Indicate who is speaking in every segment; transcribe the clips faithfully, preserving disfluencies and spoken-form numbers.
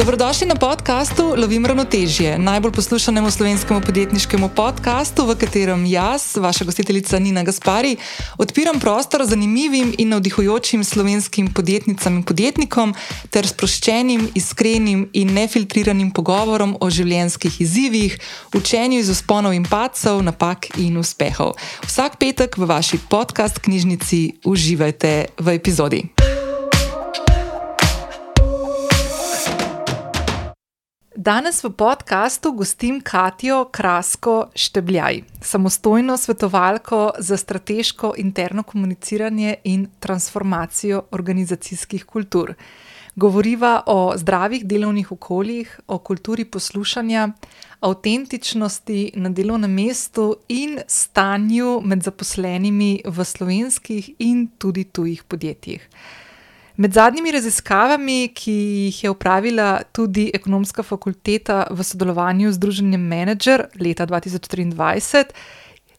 Speaker 1: Dobrodošli na podkastu Lovim ravnotežje, najbolj poslušanemu slovenskemu podjetniškemu podkastu, v katerem jaz, vaša gostiteljica Nina Gaspari, odpiram prostor zanimivim in navdihujočim slovenskim podjetnicam in podjetnikom ter sproščenim, iskrenim in nefiltriranim pogovorom o življenjskih izzivih, učenju iz vzponov in padcev, napak in uspehov. Vsak petek v vaši podcast knjižnici uživajte v epizodi. Danes v podkastu gostim Katjo Krasko Štebljaj, samostojno svetovalko za strateško interno komuniciranje in transformacijo organizacijskih kultur. Govoriva o zdravih delovnih okoljih, o kulturi poslušanja, avtentičnosti na delovnem mestu in stanju med zaposlenimi v slovenskih in tudi tujih podjetjih. Med zadnjimi raziskavami, ki jih je opravila tudi Ekonomska fakulteta v sodelovanju z Združenjem Menedžer leta dva tisoč triindvajset,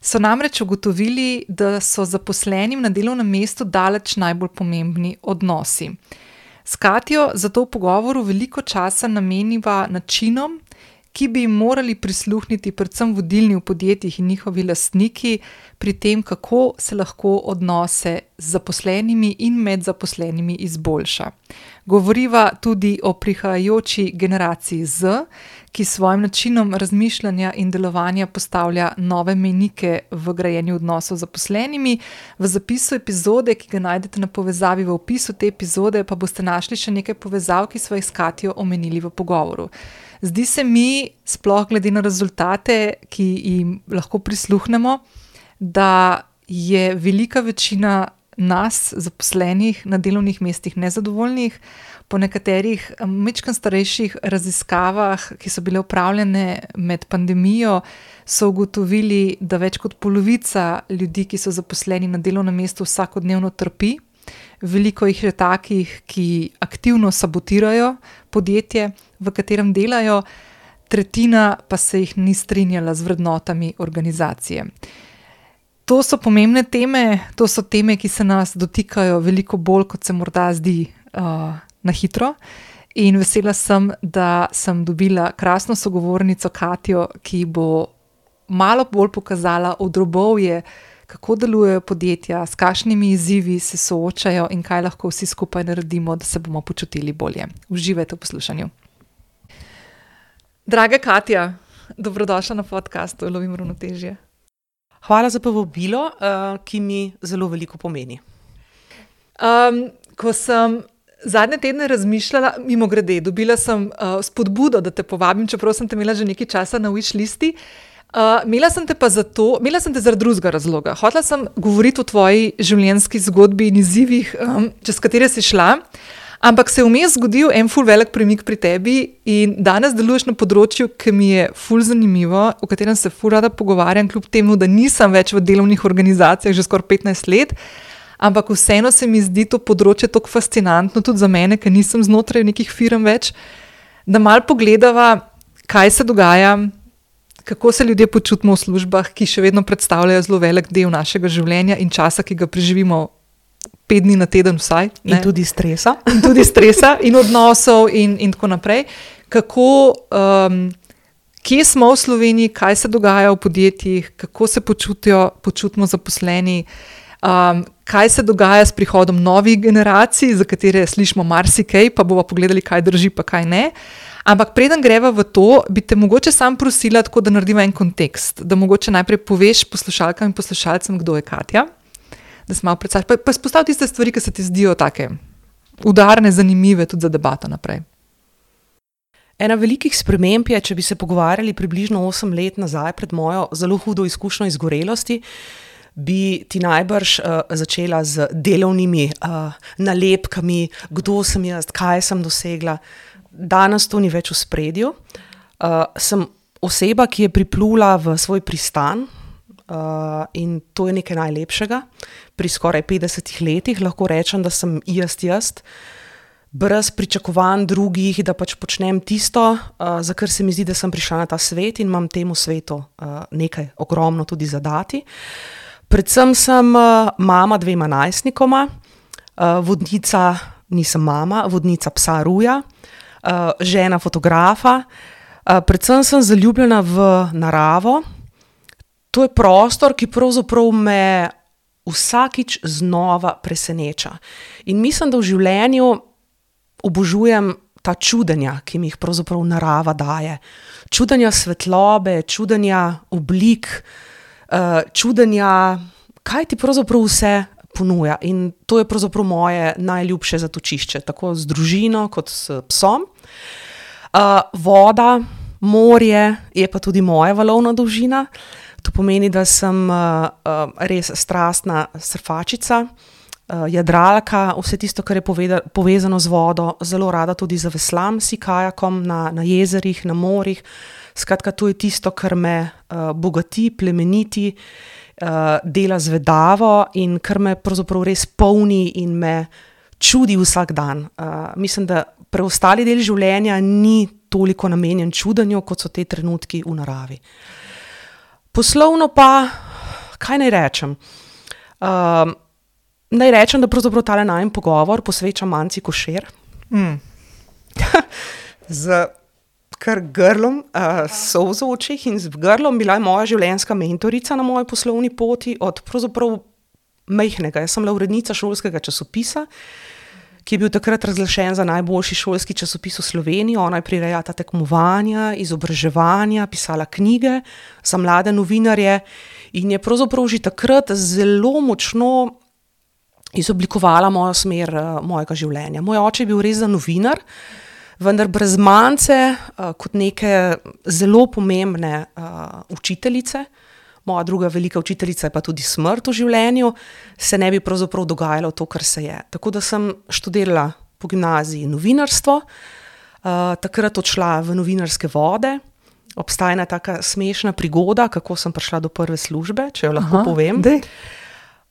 Speaker 1: so namreč ugotovili, da so zaposlenim na delovnem mestu daleč najbolj pomembni odnosi. S Katjo zato v pogovoru veliko časa nameniva načinom, ki bi jim morali prisluhniti predvsem vodilni v podjetjih in njihovi lastniki pri tem, kako se lahko odnose z zaposlenimi in med zaposlenimi izboljša. Govoriva tudi o prihajajoči generaciji Z, ki s svojim načinom razmišljanja in delovanja postavlja nove mejnike v grajenju odnosov z zaposlenimi. V zapisu epizode, ki ga najdete na povezavi v opisu te epizode, pa boste našli še nekaj povezav, ki sva jih s Katjo omenili v pogovoru. Zdi se mi, sploh glede na rezultate, ki jim lahko prisluhnemo, da je velika večina nas, zaposlenih na delovnih mestih, nezadovoljnih. Po nekaterih majčkeno starejših raziskavah, ki so bile opravljene med pandemijo, so ugotovili, da več kot polovica ljudi, ki so zaposleni na delovnem mestu, vsakodnevno trpi. Veliko jih je takih, ki aktivno sabotirajo podjetje, v katerem delajo, tretjina pa se jih ni strinjala z vrednotami organizacije. To so pomembne teme, to so teme, ki se nas dotikajo veliko bolj, kot se morda zdi uh, na hitro. In vesela sem, da sem dobila krasno sogovornico Katjo, ki bo malo bolj pokazala odrobovje, kako delujejo podjetja, s kakšnimi izzivi se soočajo in kaj lahko vsi skupaj naredimo, da se bomo počutili bolje. Uživajte v poslušanju. Draga Katja, dobrodošla na podkastu Lovim ravnotežje.
Speaker 2: Hvala za povabilo, ki mi zelo veliko pomeni.
Speaker 1: Um, ko sem zadnje tedne razmišljala, mimogrede, dobila sem uh, spodbudo, da te povabim, čeprav sem te imela že nekaj časa na wish listi. Uh, imela sem te pa zato, imela sem te zaradi drugega razloga. Hotela sem govoriti o tvoji življenjski zgodbi in izzivih, um, čez katere si šla, ampak se je vmes zgodil en ful velik premik pri tebi in danes deluješ na področju, ki mi je ful zanimivo, o katerem se ful rada pogovarjam, kljub temu, da nisem več v delovnih organizacijah že skoraj petnajst let, ampak vseeno se mi zdi to področje tako fascinantno, tudi za mene, ker nisem znotraj nekih firm več, da malo pogledava, kaj se dogaja, kako se ljudje počutimo v službah, ki še vedno predstavljajo zelo velik del našega življenja in časa, ki ga preživimo pet dni na teden vsaj.
Speaker 2: Ne? In tudi stresa.
Speaker 1: In tudi stresa in odnosov in, in tako naprej. Kako, um, kje smo v Sloveniji, kaj se dogaja v podjetjih, kako se počutijo, počutimo zaposleni, um, kaj se dogaja s prihodom novih generacij, za katere slišimo marsikaj, pa bomo pogledali, kaj drži, pa kaj ne. Ampak preden greva v to, bi te mogoče sam prosila, tako da naredimo en kontekst, da mogoče najprej poveš poslušalkam in poslušalcem, kdo je Katja, da se malo predstaviš, pa, pa izpostavi tiste stvari, ki se ti zdijo take udarne, zanimive tudi za debato naprej.
Speaker 2: Ena velikih sprememb je, če bi se pogovarjali približno osem let nazaj pred mojo zelo hudo izkušnjo izgorelosti, bi ti najbrž uh, začela z delovnimi uh, nalepkami, kdo sem jaz, kaj sem dosegla. Danes to ni več v spredju. Uh, sem oseba, ki je priplula v svoj pristan uh, in to je nekaj najlepšega. Pri skoraj petdesetih letih lahko rečem, da sem jaz jaz, brez pričakovanj drugih, da pač počnem tisto, uh, za kar se mi zdi, da sem prišla na ta svet in imam temu svetu uh, nekaj ogromno tudi zadati. Predvsem sem uh, mama dvema najstnikoma, uh, vodnica, nisem mama, vodnica psa Ruja, uh, žena fotografa. Uh, predvsem sem zaljubljena v naravo. To je prostor, ki pravzaprav me vsakič znova preseneča. In mislim, da v življenju obožujem ta čudenja, ki mi jih pravzaprav narava daje. Čudenja svetlobe, čudenja oblik, uh, čudenja, kaj ti pravzaprav vse ponuja. In to je pravzaprav moje najljubše zatočišče, tako z družino kot s psom. Uh, voda, morje je pa tudi moja valovna dolžina. To pomeni, da sem uh, uh, res strastna surfačica, uh, jadralka, vse tisto, kar je poveda, povezano z vodo, zelo rada tudi zaveslam si kajakom na, na jezerih, na morjih. Skratka, to je tisto, kar me uh, bogati, plemeniti, uh, dela zvedavo in kar me pravzaprav res polni in me čudi vsak dan. Uh, mislim, da preostali del življenja ni toliko namenjen čudenju, kot so te trenutki v naravi. Poslovno pa, kaj naj rečem? Uh, naj rečem, da pravzaprav tale najin pogovor posvečam Manci Košir. Mm. Z kar grlom, uh, solzo v očeh in z grlom bila je moja življenjska mentorica na moji poslovni poti od pravzaprav majhnega. Jaz sem bila urednica šolskega časopisa, ki je bil takrat razglašen za najboljši šolski časopis v Sloveniji. Ona je prirejala tekmovanja, izobraževanja, pisala knjige za mlade novinarje in je pravzaprav že takrat zelo močno izoblikovala mojo smer uh, mojega življenja. Moj oče je bil res za novinar, vendar brez Mance uh, kot neke zelo pomembne uh, učiteljice, moja druga velika učiteljica je pa tudi smrt v življenju, se ne bi pravzaprav dogajalo to, kar se je. Tako da sem študirala po gimnaziji novinarstvo, uh, takrat odšla v novinarske vode. Obstaja ena taka smešna prigoda, kako sem prišla do prve službe, če jo lahko Aha, povem.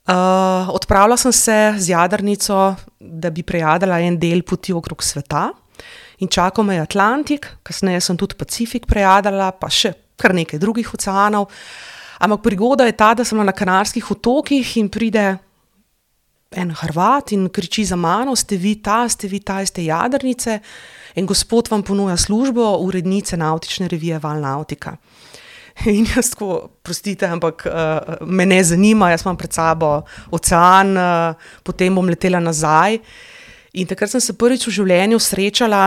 Speaker 2: Uh, odpravila sem se z jadrnico, da bi prejadala en del poti okrog sveta in čakal me je Atlantik, kasneje sem tudi Pacifik prejadala, pa še kar nekaj drugih oceanov. Ampak prigoda je ta, da sem na Kanarskih otokih in pride en Hrvat in kriči za mano, ste vi ta, ste vi ta iz te jadrnice in gospod vam ponuja službo urednice navtične revije Val Nautika. In jaz tako, prostite, ampak uh, me ne zanima, jaz imam pred sabo ocean, uh, potem bom letela nazaj. In takrat sem se prvič v življenju srečala,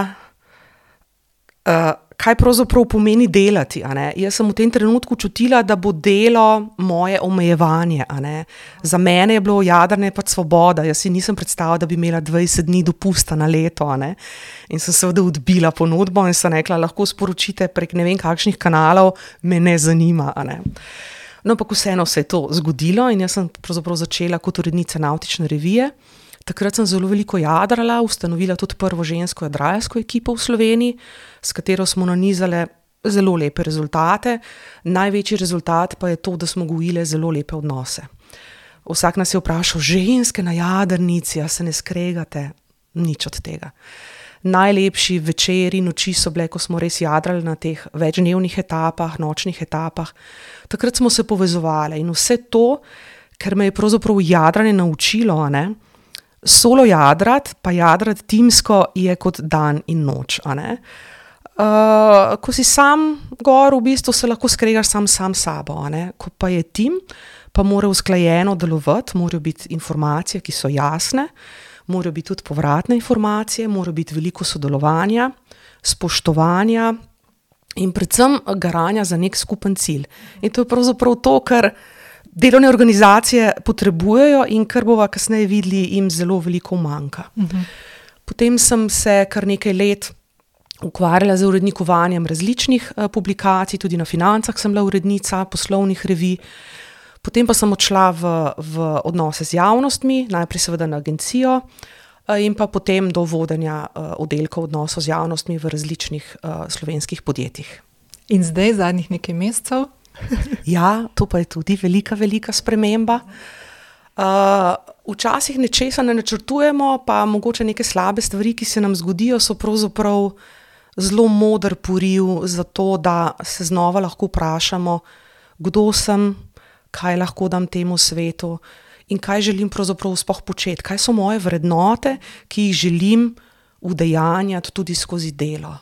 Speaker 2: uh, kaj pravzaprav pomeni delati. A ne? Jaz sem v tem trenutku čutila, da bo delo moje omejevanje. A ne? Za mene je bilo jadranje pač svoboda. Jaz si nisem predstavila, da bi imela dvajset dni dopusta na leto. A ne? In sem seveda odbila ponudbo in sem rekla, lahko sporočite prek ne vem kakšnih kanalov, me ne zanima. A ne? No, ampak vseeno se je to zgodilo in jaz sem pravzaprav začela kot urednica navtične revije. Takrat sem zelo veliko jadrala, ustanovila tudi prvo žensko jadralsko ekipo v Sloveniji, s katero smo nanizale zelo lepe rezultate. Največji rezultat pa je to, da smo gojile zelo lepe odnose. Vsak nas je vprašal, ženske na jadrnici, a se ne skregate? Nič od tega. Najlepši večeri, noči so bile, ko smo res jadrali na teh večdnevnih etapah, nočnih etapah. Takrat smo se povezovali in vse to, ker me je pravzaprav jadranje naučilo, a ne? Solo jadrat, pa jadrat timsko je kot dan in noč. A ne? Uh, ko si sam gor, v bistvu se lahko skregaš sam sam sabo. A ne? Ko pa je tim, pa mora usklajeno delovati, morajo biti informacije, ki so jasne, morajo biti tudi povratne informacije, mora biti veliko sodelovanja, spoštovanja in predvsem garanja za nek skupen cilj. In to je pravzaprav to, kar delovne organizacije potrebujejo in kar bova kasneje videli, jim zelo veliko manjka. Uh-huh. Potem sem se kar nekaj let ukvarjala z urednikovanjem različnih uh, publikacij, tudi na Financah sem bila urednica poslovnih revij. Potem pa sem odšla v, v odnose z javnostmi, najprej seveda na agencijo uh, in pa potem do vodenja uh, oddelkov odnosov z javnostmi v različnih uh, slovenskih podjetjih.
Speaker 1: In zdaj, zadnjih nekaj mesecev?
Speaker 2: Ja, to pa je tudi velika, velika sprememba. Uh, včasih nečesa ne načrtujemo, pa mogoče neke slabe stvari, ki se nam zgodijo, so pravzaprav zelo moder poriv za to, da se znova lahko vprašamo, kdo sem, kaj lahko dam temu svetu in kaj želim pravzaprav sploh početi, kaj so moje vrednote, ki jih želim udejanjati tudi skozi delo.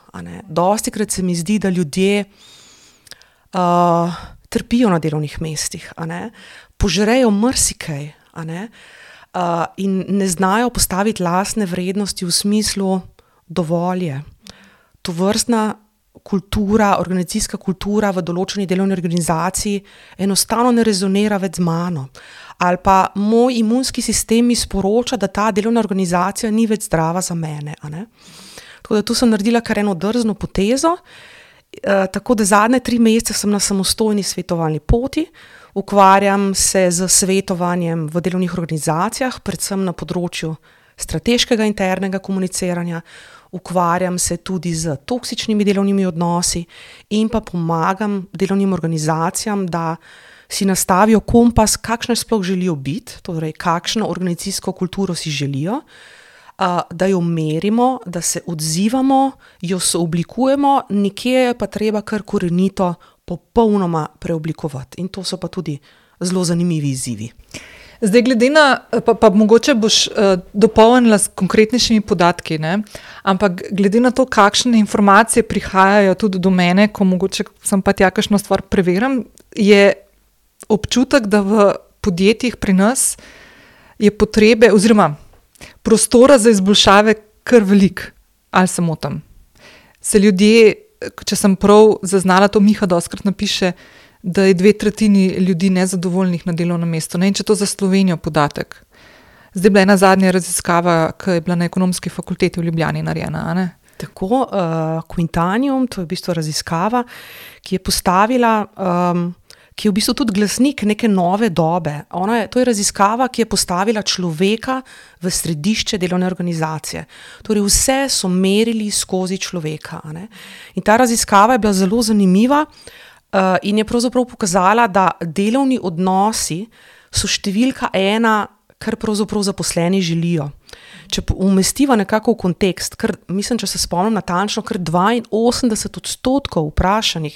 Speaker 2: Dostikrat se mi zdi, da ljudje uh, trpijo na delovnih mestih, a ne? Požrejo marsikaj, a ne? Uh, in ne znajo postaviti lastne vrednosti v smislu dovolje. Tovrstna kultura, organizacijska kultura v določeni delovni organizaciji enostavno ne rezonira več z mano. Ali pa moj imunski sistem mi sporoča, da ta delovna organizacija ni več zdrava za mene. A ne? Tako da tu sem naredila kar eno drzno potezo, e, tako da zadnje tri mesece sem na samostojni svetovalni poti, ukvarjam se z svetovanjem v delovnih organizacijah, predvsem na področju strateškega internega komuniciranja, ukvarjam se tudi z toksičnimi delovnimi odnosi in pa pomagam delovnim organizacijam, da si nastavijo kompas, kakšne sploh želijo biti, torej kakšno organizacijsko kulturo si želijo, da jo merimo, da se odzivamo, jo sooblikujemo, nekje je pa treba kar korenito popolnoma preoblikovati. In to so pa tudi zelo zanimivi izzivi.
Speaker 1: Zdaj, glede na, pa, pa mogoče boš uh, dopolnila s konkretnejšimi podatki, ne? Ampak glede na to, kakšne informacije prihajajo tudi do mene, ko mogoče sem pa tja kakšno stvar preverim, je občutek, da v podjetjih pri nas je potrebe oziroma prostora za izboljšave kar velik, ali se motim. Se ljudje, če sem prav zaznala, to Miha dostikrat napiše, da je dve tretjini ljudi nezadovoljnih na delovnem mestu. Ne? In če to za Slovenijo podatek. Zdaj je bila ena zadnja raziskava, ki je bila na Ekonomski fakulteti v Ljubljani narejena, a ne?
Speaker 2: Tako, uh, Quintanium, to je v bistvu raziskava, ki je postavila, um, ki je v bistvu tudi glasnik neke nove dobe. Ona je, to je raziskava, ki je postavila človeka v središče delovne organizacije. Torej vse so merili skozi človeka. A ne? In ta raziskava je bila zelo zanimiva, Uh, in je pravzaprav pokazala, da delovni odnosi so številka ena, kar pravzaprav zaposleni želijo. Če umestiva nekako v kontekst, kar, mislim, če se spomnim natančno, kar dvainosemdeset odstotkov vprašanih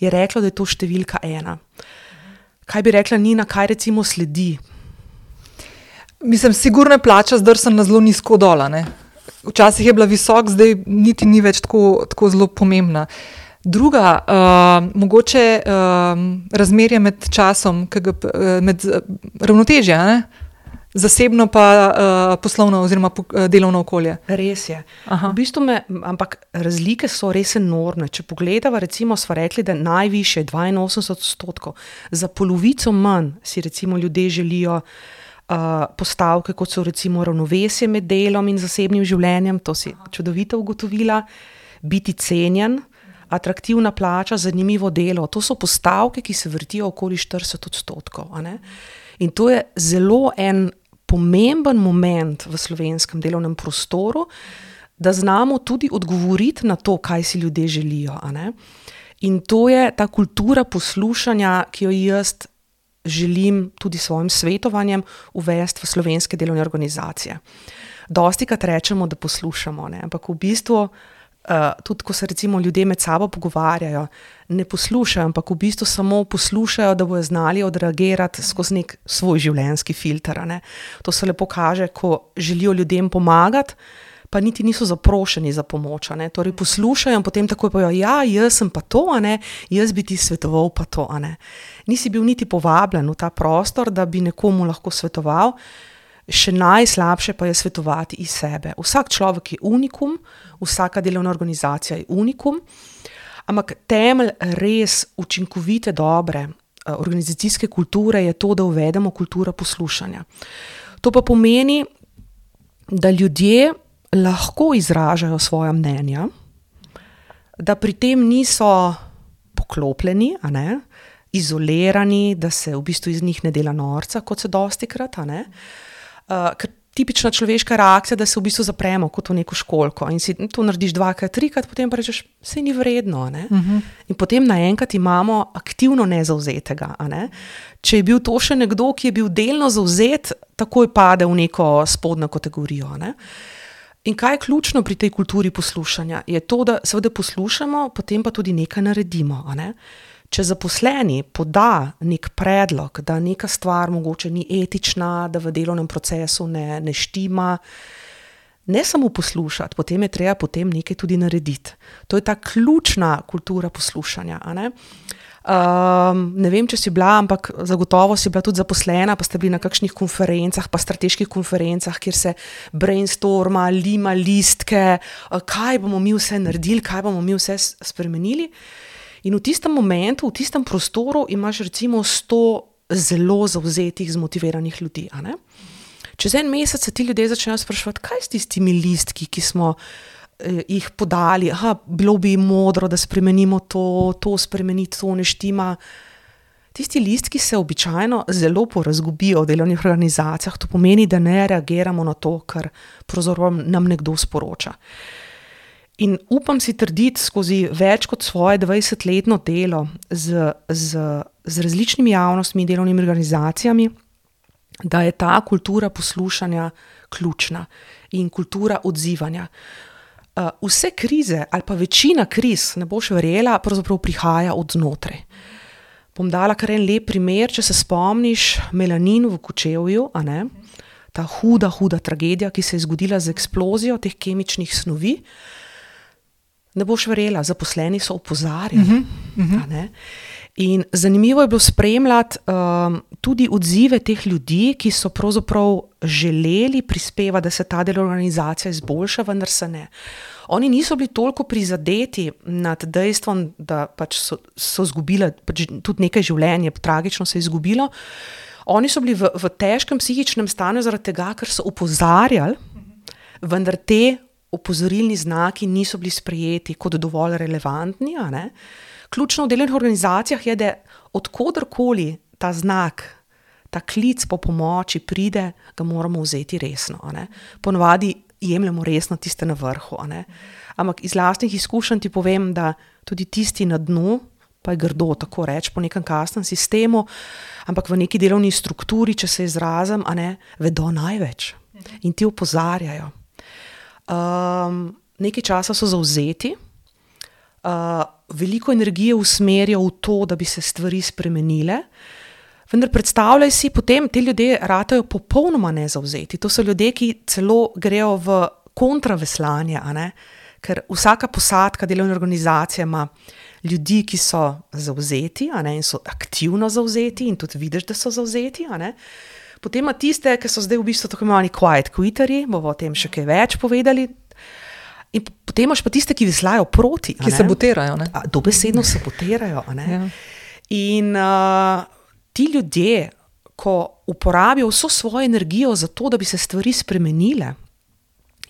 Speaker 2: je reklo, da je to številka ena. Kaj bi rekla Nina, kaj recimo sledi?
Speaker 1: Mislim, sigurno je plača zdrsana zelo nizko dola, ne? Včasih je bila visok, zdaj niti ni več tako, tako zelo pomembna. Druga, uh, mogoče uh, razmerje med časom, kega, med uh, ravnotežje, ne? Zasebno pa uh, poslovno oziroma delovno okolje.
Speaker 2: Res je. Aha. V bistvu me, ampak razlike so res enormne. Če pogledava, recimo smo rekli, da najviše dvainosemdeset odstotkov, za polovico manj si recimo ljudje želijo uh, postavke, kot so recimo ravnovesje med delom in zasebnim življenjem, to si čudovito ugotovila, biti cenjen, atraktivna plača, zanimivo delo. To so postavke, ki se vrtijo okoli štirideset odstotkov. A ne? In to je zelo en pomemben moment v slovenskem delovnem prostoru, da znamo tudi odgovoriti na to, kaj si ljudje želijo. A ne? In to je ta kultura poslušanja, ki jo jaz želim tudi svojim svetovanjem uvesti v slovenske delovne organizacije. Dostikrat rečemo, da poslušamo, ne? Ampak v bistvu Uh, tudi ko se recimo ljudje med sabo pogovarjajo, ne poslušajo, ampak v bistvu samo poslušajo, da bojo znali odreagirati skozi nek svoj življenjski filter. Ne? To se lepo kaže, ko želijo ljudem pomagati, pa niti niso zaprošeni za pomoč. Ne? Torej poslušajo in potem takoj povejo, ja, jaz sem pa to, a ne? Jaz bi ti svetoval pa to. A ne? Nisi bil niti povabljen v ta prostor, da bi nekomu lahko svetoval. Še najslabše pa je svetovati iz sebe. Vsak človek je unikum, vsaka delovna organizacija je unikum, ampak temelj res učinkovite, dobre organizacijske kulture je to, da uvedemo kulturo poslušanja. To pa pomeni, da ljudje lahko izražajo svoja mnenja, da pri tem niso poklopljeni, a ne, izolirani, da se v bistvu iz njih ne dela norca, kot se dostikrat, a ne. Uh, ker tipična človeška reakcija, da se v bistvu zapremo kot v neko školjko in si to narediš dvakrat, trikrat, potem pa rečeš, saj ni vredno. Ne? Uh-huh. In potem naenkrat imamo aktivno nezavzetega. A ne? Če je bil to še nekdo, ki je bil delno zavzet, takoj pade v neko spodnjo kategorijo. A ne? In kaj je ključno pri tej kulturi poslušanja? Je to, da seveda poslušamo, potem pa tudi nekaj naredimo. A ne? Če zaposleni poda nek predlog, da neka stvar mogoče ni etična, da v delovnem procesu ne, ne štima, ne samo poslušati, potem je treba potem nekaj tudi narediti. To je ta ključna kultura poslušanja, a ne? Um, ne vem, če si bila, ampak zagotovo si bila tudi zaposlena, pa ste bili na kakšnih konferencah, pa strateških konferencah, kjer se brainstorma, lima listke, kaj bomo mi vse naredili, kaj bomo mi vse spremenili. In v tistem momentu, v tistem prostoru imaš recimo sto zelo zavzetih, zmotiviranih ljudi, a ne? Čez en mesec se ti ljudje začnejo spraševati, kaj s tistimi listki, ki smo jih podali, aha, bilo bi modro, da spremenimo to, to spremeniti, to ne štima. Tisti listki se običajno zelo porazgubijo v delovnih organizacijah, to pomeni, da ne reagiramo na to, kar pravzaprav nam nekdo sporoča. In upam si trditi skozi več kot svoje dvajsetletno delo z, z, z različnimi javnostmi in delovnimi organizacijami, da je ta kultura poslušanja ključna in kultura odzivanja. Uh, vse krize ali pa večina kriz, ne boš verjela, pravzaprav prihaja od znotraj. Bom dala kar en lep primer, če se spomniš melanin v Kočevju, a ne? Ta huda, huda tragedija, ki se je zgodila z eksplozijo teh kemičnih snovi. Ne boš verjela, zaposleni so opozarjali. Uh-huh, uh-huh. A ne? In zanimivo je bilo spremljati um, tudi odzive teh ljudi, ki so pravzaprav želeli prispevati, da se ta del organizacija izboljša, vendar se ne. Oni niso bili toliko prizadeti nad dejstvom, da pač so, so izgubili pač tudi nekaj življenja, tragično se je izgubilo. Oni so bili v, v težkem psihičnem stanju zaradi tega, ker so opozarjali, vendar te opozorilni znaki niso bili sprejeti kot dovolj relevantni, a ne? Ključno v delovnih organizacijah je, da odkodarkoli ta znak, ta klic po pomoči pride, ga moramo vzeti resno. A ne? Ponavadi jemljemo resno tiste na vrhu. A ne? Ampak iz lastnih izkušenj ti povem, da tudi tisti na dnu, pa je grdo tako reči, po nekem kasnem sistemu, ampak v neki delovni strukturi, če se izrazim, a ne, vedo največ in ti opozarjajo. Um, nekaj časa so zavzeti, Uh, veliko energije usmerijo v to, da bi se stvari spremenile, vendar predstavljaj si, potem te ljudje ratajo popolnoma nezavzeti. To so ljudje, ki celo grejo v kontraveslanje, a ne? Ker vsaka posadka delovne organizacije ima ljudi, ki so zavzeti, a ne? In so aktivno zavzeti in tudi vidiš, da so zavzeti, a ne? Potem ima tiste, ki so zdaj v bistvu tako imenovani quiet quitterji, bomo o tem še kaj več povedali. In potem imaš pa tiste, ki veslajo proti.
Speaker 1: Ki sabotirajo, ne?
Speaker 2: A, dobesedno sabotirajo, a ne?
Speaker 1: Ja.
Speaker 2: In uh, ti ljudje, ko uporabijo vso svojo energijo za to, da bi se stvari spremenile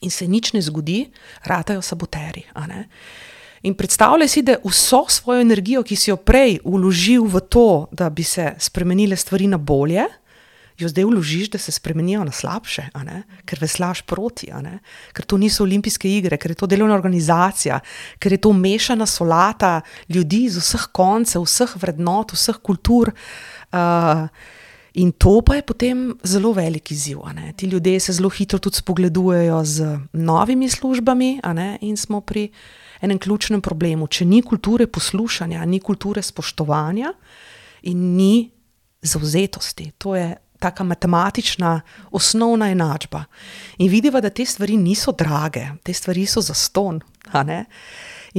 Speaker 2: in se nič ne zgodi, ratajo saboteri, a ne? In predstavljaj si, da vso svojo energijo, ki si jo prej vložil v to, da bi se spremenile stvari na bolje, jo zdaj vložiš, da se spremenijo na slabše, a ne? Ker veslaš proti, a ne? Ker to niso olimpijske igre, ker je to delovna organizacija, ker je to mešana solata ljudi z vseh koncev, vseh vrednot, vseh kultur. Uh, in to pa je potem zelo velik izziv, a ne? Ti ljudje se zelo hitro tudi spogledujejo z novimi službami, a ne? In smo pri enem ključnem problemu. Če ni kulture poslušanja, ni kulture spoštovanja in ni zavzetosti. To je taka matematična osnovna enačba. In vidiva, da te stvari niso drage, te stvari so zastonj, a ne?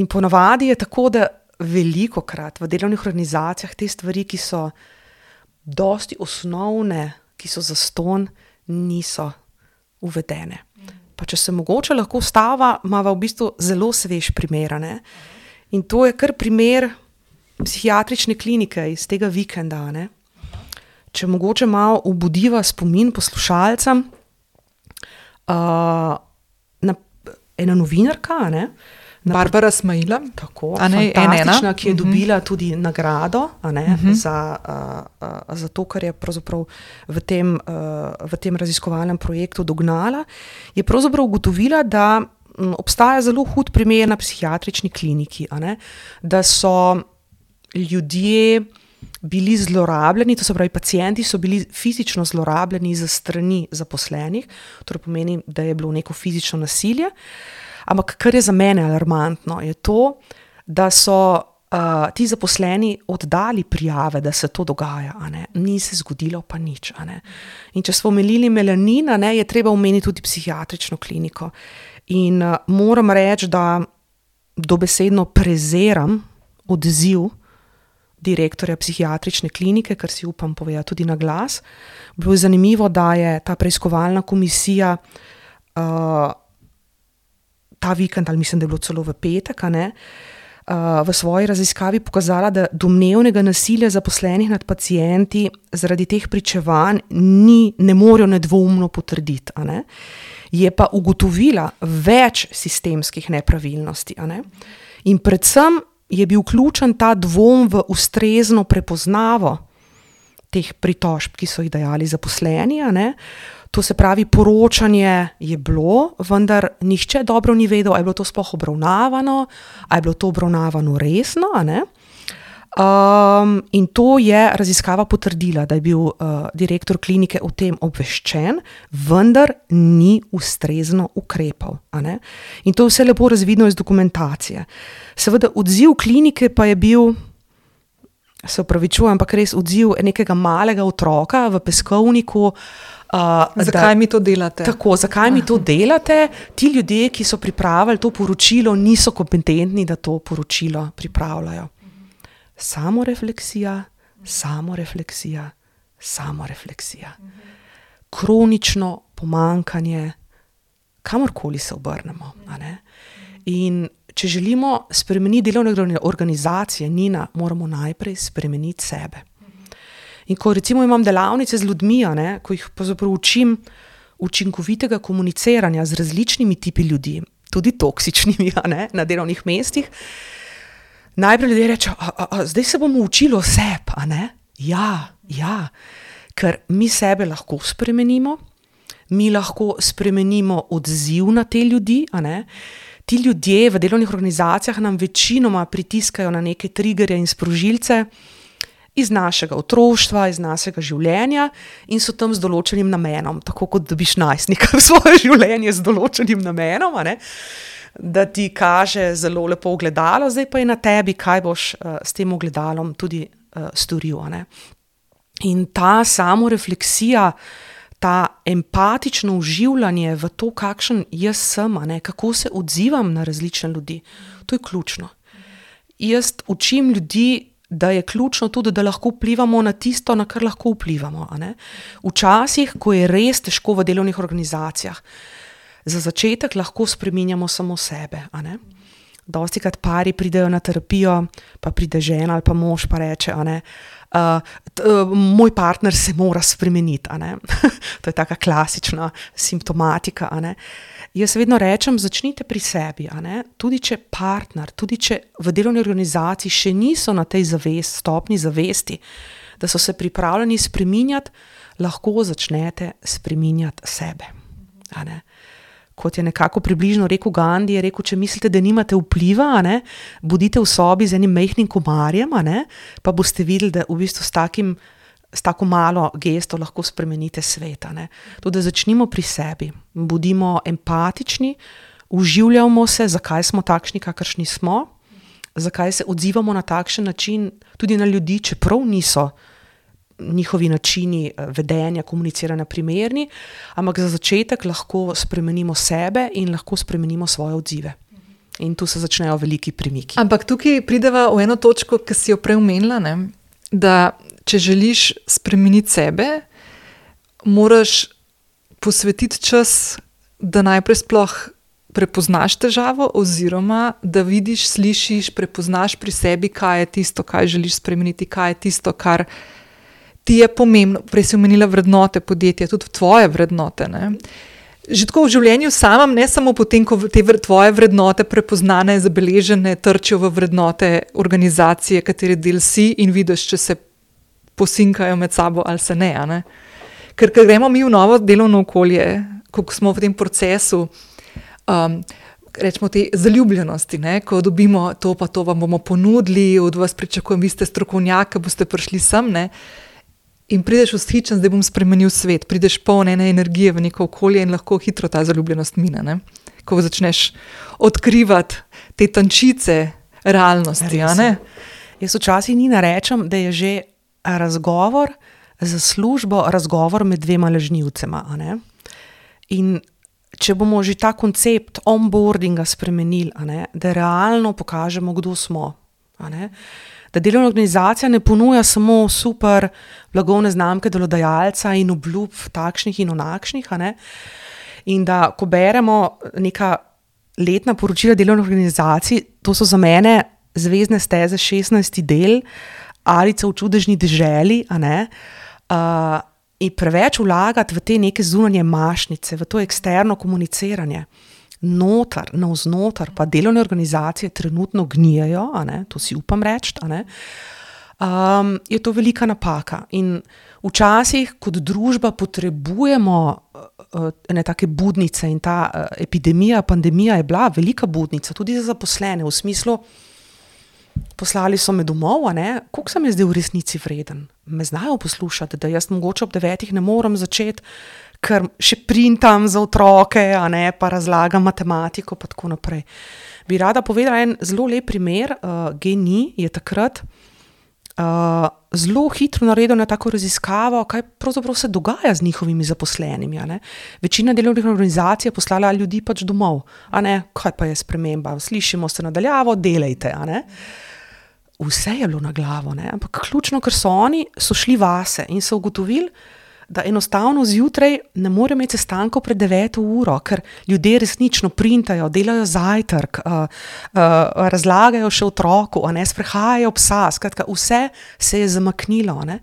Speaker 2: In ponavadi je tako, da velikokrat v delovnih organizacijah te stvari, ki so dosti osnovne, ki so zastonj, niso uvedene. Pa če se mogoče lahko stava, imava v bistvu zelo svež primer, a ne? In to je kar primer psihiatrične klinike iz tega vikenda, a ne? Če mogoče malo obudiva spomin poslušalcem, uh, na, ena novinarka, ne? Na,
Speaker 1: Barbara Smaila,
Speaker 2: tako,
Speaker 1: a ne,
Speaker 2: fantastična,
Speaker 1: ena,
Speaker 2: ki je
Speaker 1: uh-huh.
Speaker 2: dobila tudi nagrado, a ne,
Speaker 1: uh-huh.
Speaker 2: za, uh, uh, za to, kar je pravzaprav v tem, uh, v tem raziskovalnem projektu dognala, je pravzaprav ugotovila, da m, obstaja zelo hud primer na psihiatrični kliniki, a ne, da so ljudje bili zlorabljeni, to se pravi, pacienti so bili fizično zlorabljeni za strani zaposlenih, torej pomeni, da je bilo neko fizično nasilje, ampak kar je za mene alarmantno, je to, da so uh, ti zaposleni oddali prijave, da se to dogaja, a ne? Ni se zgodilo pa nič. A ne? In če smo omenili melanin, a ne, je treba omeniti tudi psihiatrično kliniko. In uh, moram reči, da dobesedno preziram odziv direktorja psihiatrične klinike, kar si upam povedati tudi na glas. Bilo je zanimivo, da je ta preiskovalna komisija uh, ta vikend, ali mislim, da je bilo celo v petek, a ne, uh, v svoji raziskavi pokazala, da domnevnega nasilja zaposlenih nad pacienti zaradi teh pričevanj ni, ne morejo nedvoumno potrditi, a ne. Je pa ugotovila več sistemskih nepravilnosti, a ne. In predvsem je bil vključen ta dvom v ustrezno prepoznavo teh pritožb, ki so jih dajali zaposleni, a ne. To se pravi, poročanje je bilo, vendar nihče dobro ni vedel, a je bilo to sploh obravnavano, a je bilo to obravnavano resno, a ne. Um, in to je raziskava potrdila, da je bil uh, direktor klinike o tem obveščen, vendar ni ustrezno ukrepal. A ne? In to je vse lepo razvidno iz dokumentacije. Seveda odziv klinike pa je bil, se opravičujem, ampak res odziv nekega malega otroka v peskovniku. Uh,
Speaker 1: zakaj da, mi to delate?
Speaker 2: Tako, zakaj mi to delate? Ti ljudje, ki so pripravili to poročilo, niso kompetentni, da to poročilo pripravljajo. Samorefleksija, samorefleksija, samorefleksija. Kronično pomanjkanje, kamorkoli se obrnemo. A ne? In če želimo spremeniti delovne organizacije, Nina, moramo najprej spremeniti sebe. In ko recimo imam delavnice z ljudmi, a ne, ko jih pravzaprav učim učinkovitega komuniciranja z različnimi tipi ljudi, tudi toksičnimi, a ne, na delovnih mestih, najprej ljudje rečejo, a, a, a, zdaj se bomo učili o sebi, a ne? Ja, ja, ker mi sebe lahko spremenimo, mi lahko spremenimo odziv na te ljudi, a ne? Ti ljudje v delovnih organizacijah nam večinoma pritiskajo na neke triggerje in sprožilce iz našega otroštva, iz našega življenja in so tam z določenim namenom, tako kot dobiš najstnika v svoje življenje z določenim namenom, a ne? Da ti kaže zelo lepo ogledalo, zdaj pa je na tebi, kaj boš uh, s tem ogledalom tudi uh, storil. A ne? In ta samorefleksija, ta empatično uživljanje v to, kakšen jaz sem, a ne? Kako se odzivam na različne ljudi, to je ključno. Jaz učim ljudi, da je ključno tudi, da lahko vplivamo na tisto, na kar lahko vplivamo. A ne? Včasih, ko je res težko v delovnih organizacijah, za začetek lahko spreminjamo samo sebe. A ne? Dostikrat pari pridejo na terapijo, pa pride žena ali pa mož pa reče, a ne, uh, t, uh, moj partner se mora spremeniti. A ne? To je taka klasična simptomatika. A ne? Jaz vedno rečem, začnite pri sebi. A ne? Tudi če partner, tudi če v delovni organizaciji še niso na tej zavest, stopni zavesti, da so se pripravljeni spreminjati, lahko začnete spreminjati sebe. A ne? Kot je nekako približno rekel Gandhi, je rekel, če mislite, da nimate vpliva, a ne, bodite v sobi z enim majhnim komarjem, a ne, pa boste videli, da v bistvu s, takim, s tako malo gesto lahko spremenite svet. A ne. Tudi začnimo pri sebi, bodimo empatični, uživljamo se, zakaj smo takšni, kakršni smo, zakaj se odzivamo na takšen način tudi na ljudi, čeprav niso njihovi načini vedenja, komuniciranja primerni, ampak za začetek lahko spremenimo sebe in lahko spremenimo svoje odzive. In tu se začnejo veliki premiki.
Speaker 1: Ampak tukaj prideva v eno točko, ki si jo prej omenila, ne? Da če želiš spremeniti sebe, moraš posvetiti čas, da najprej sploh prepoznaš težavo oziroma da vidiš, slišiš, prepoznaš pri sebi, kaj je tisto, kaj želiš spremeniti, kaj je tisto, kar ti je pomembno. Prej si omenila vrednote podjetja, tudi tvoje vrednote. Ne? Že tako v življenju samem, ne samo potem, ko te tvoje vrednote prepoznane, zabeležene, trčijo v vrednote organizacije, katere del si in vidiš, če se posinkajo med sabo ali se ne. ne? Ker, ker gremo mi v novo delovno okolje, ko smo v tem procesu, um, rečemo te zaljubljenosti, ne? Ko dobimo to pa to vam bomo ponudili, od vas pričakujem, vi ste strokovnjak, boste prišli sem, ne? In prideš vzhičen, zdaj bom spremenil svet, prideš poln ene energije v neko okolje in lahko hitro ta zaljubljenost mine. Ne? Ko začneš odkrivati te tančice realnosti, a ne?
Speaker 2: Jaz včasih ni narečem, da je že razgovor za službo, razgovor med dvema lažnivcema, a ne? In če bomo že ta koncept onboardinga spremenili, a ne, da realno pokažemo, kdo smo, a ne, da delovna organizacija ne ponuja samo super blagovne znamke delodajalca in obljub takšnih in onakšnih, a ne, in da ko beremo neka letna poročila delovnih organizacij, to so za mene zvezdne steze šestnajsti del, Alica v čudežni deželi, a ne, uh, in preveč vlagati v te neke zunanje mašnice, v to eksterno komuniciranje, notar, navznotar, pa delovne organizacije trenutno gnijejo, a ne, to si upam reči, a ne, um, je to velika napaka. In včasih kot družba potrebujemo uh, ene take budnice in ta uh, epidemija, pandemija je bila velika budnica, tudi za zaposlene, v smislu, poslali so me domov, a ne, koliko sem je zdaj v resnici vreden? Me znajo poslušati, da jaz mogoče ob devetih ne morem začeti, ker še printam za otroke, a ne, pa razlagam matematiko, pa tako naprej. Bi rada povedala en zelo lep primer, uh, G N I je takrat uh, zelo hitro naredil na tako raziskavo, kaj pravzaprav se dogaja z njihovimi zaposlenimi, a ne. Večina delovnih organizacij je poslala ljudi pač domov, a ne, kaj pa je sprememba, slišimo se nadaljavo, delajte, a ne. Vse je bilo na glavo, ne? Ampak ključno, ker so oni so šli vase in so ugotovili, da enostavno zjutraj ne morejo imeti sestankov pred deveto uro, ker ljudje resnično printajo, delajo zajtrk, uh, uh, razlagajo še otroku, a ne, sprehajajo psa, skratka, vse se je zamaknilo, ne?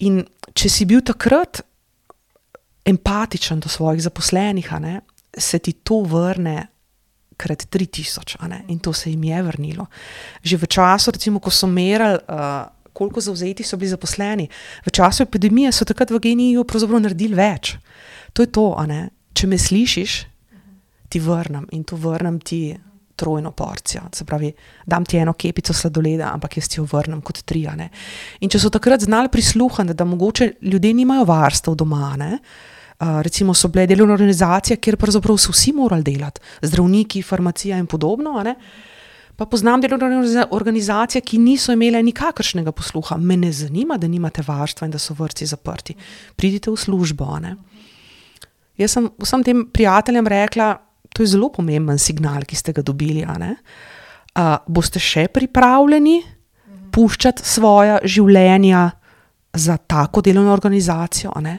Speaker 2: In če si bil takrat empatičen do svojih zaposlenih, a ne, se ti to vrne krat tri tisoč, a ne, in to se jim je vrnilo. Že v času, recimo, ko so merali, uh, koliko zavzeti so bili zaposleni, v času epidemije so takrat v G N I-ju pravzaprav naredili več. To je to, a ne, če me slišiš, ti vrnem in to vrnem ti trojno porcijo, se pravi, dam ti eno kepico sladoleda, ampak jaz ti jo vrnem kot tri, a ne. In če so takrat znali prisluhniti, da mogoče ljudje nimajo varstev doma, ne, Uh, recimo so bile delovne organizacije, kjer pravzaprav so vsi morali delati, zdravniki, farmacija in podobno, a ne? Pa poznam delovne organizacije, ki niso imele nikakršnega posluha. Me ne zanima, da nimate varstva in da so vrtci zaprti. Pridite v službo, a ne? Jaz sem vsem tem prijateljem rekla, to je zelo pomemben signal, ki ste ga dobili, a ne? Uh, boste še pripravljeni puščati svoja življenja za tako delovno organizacijo, a ne?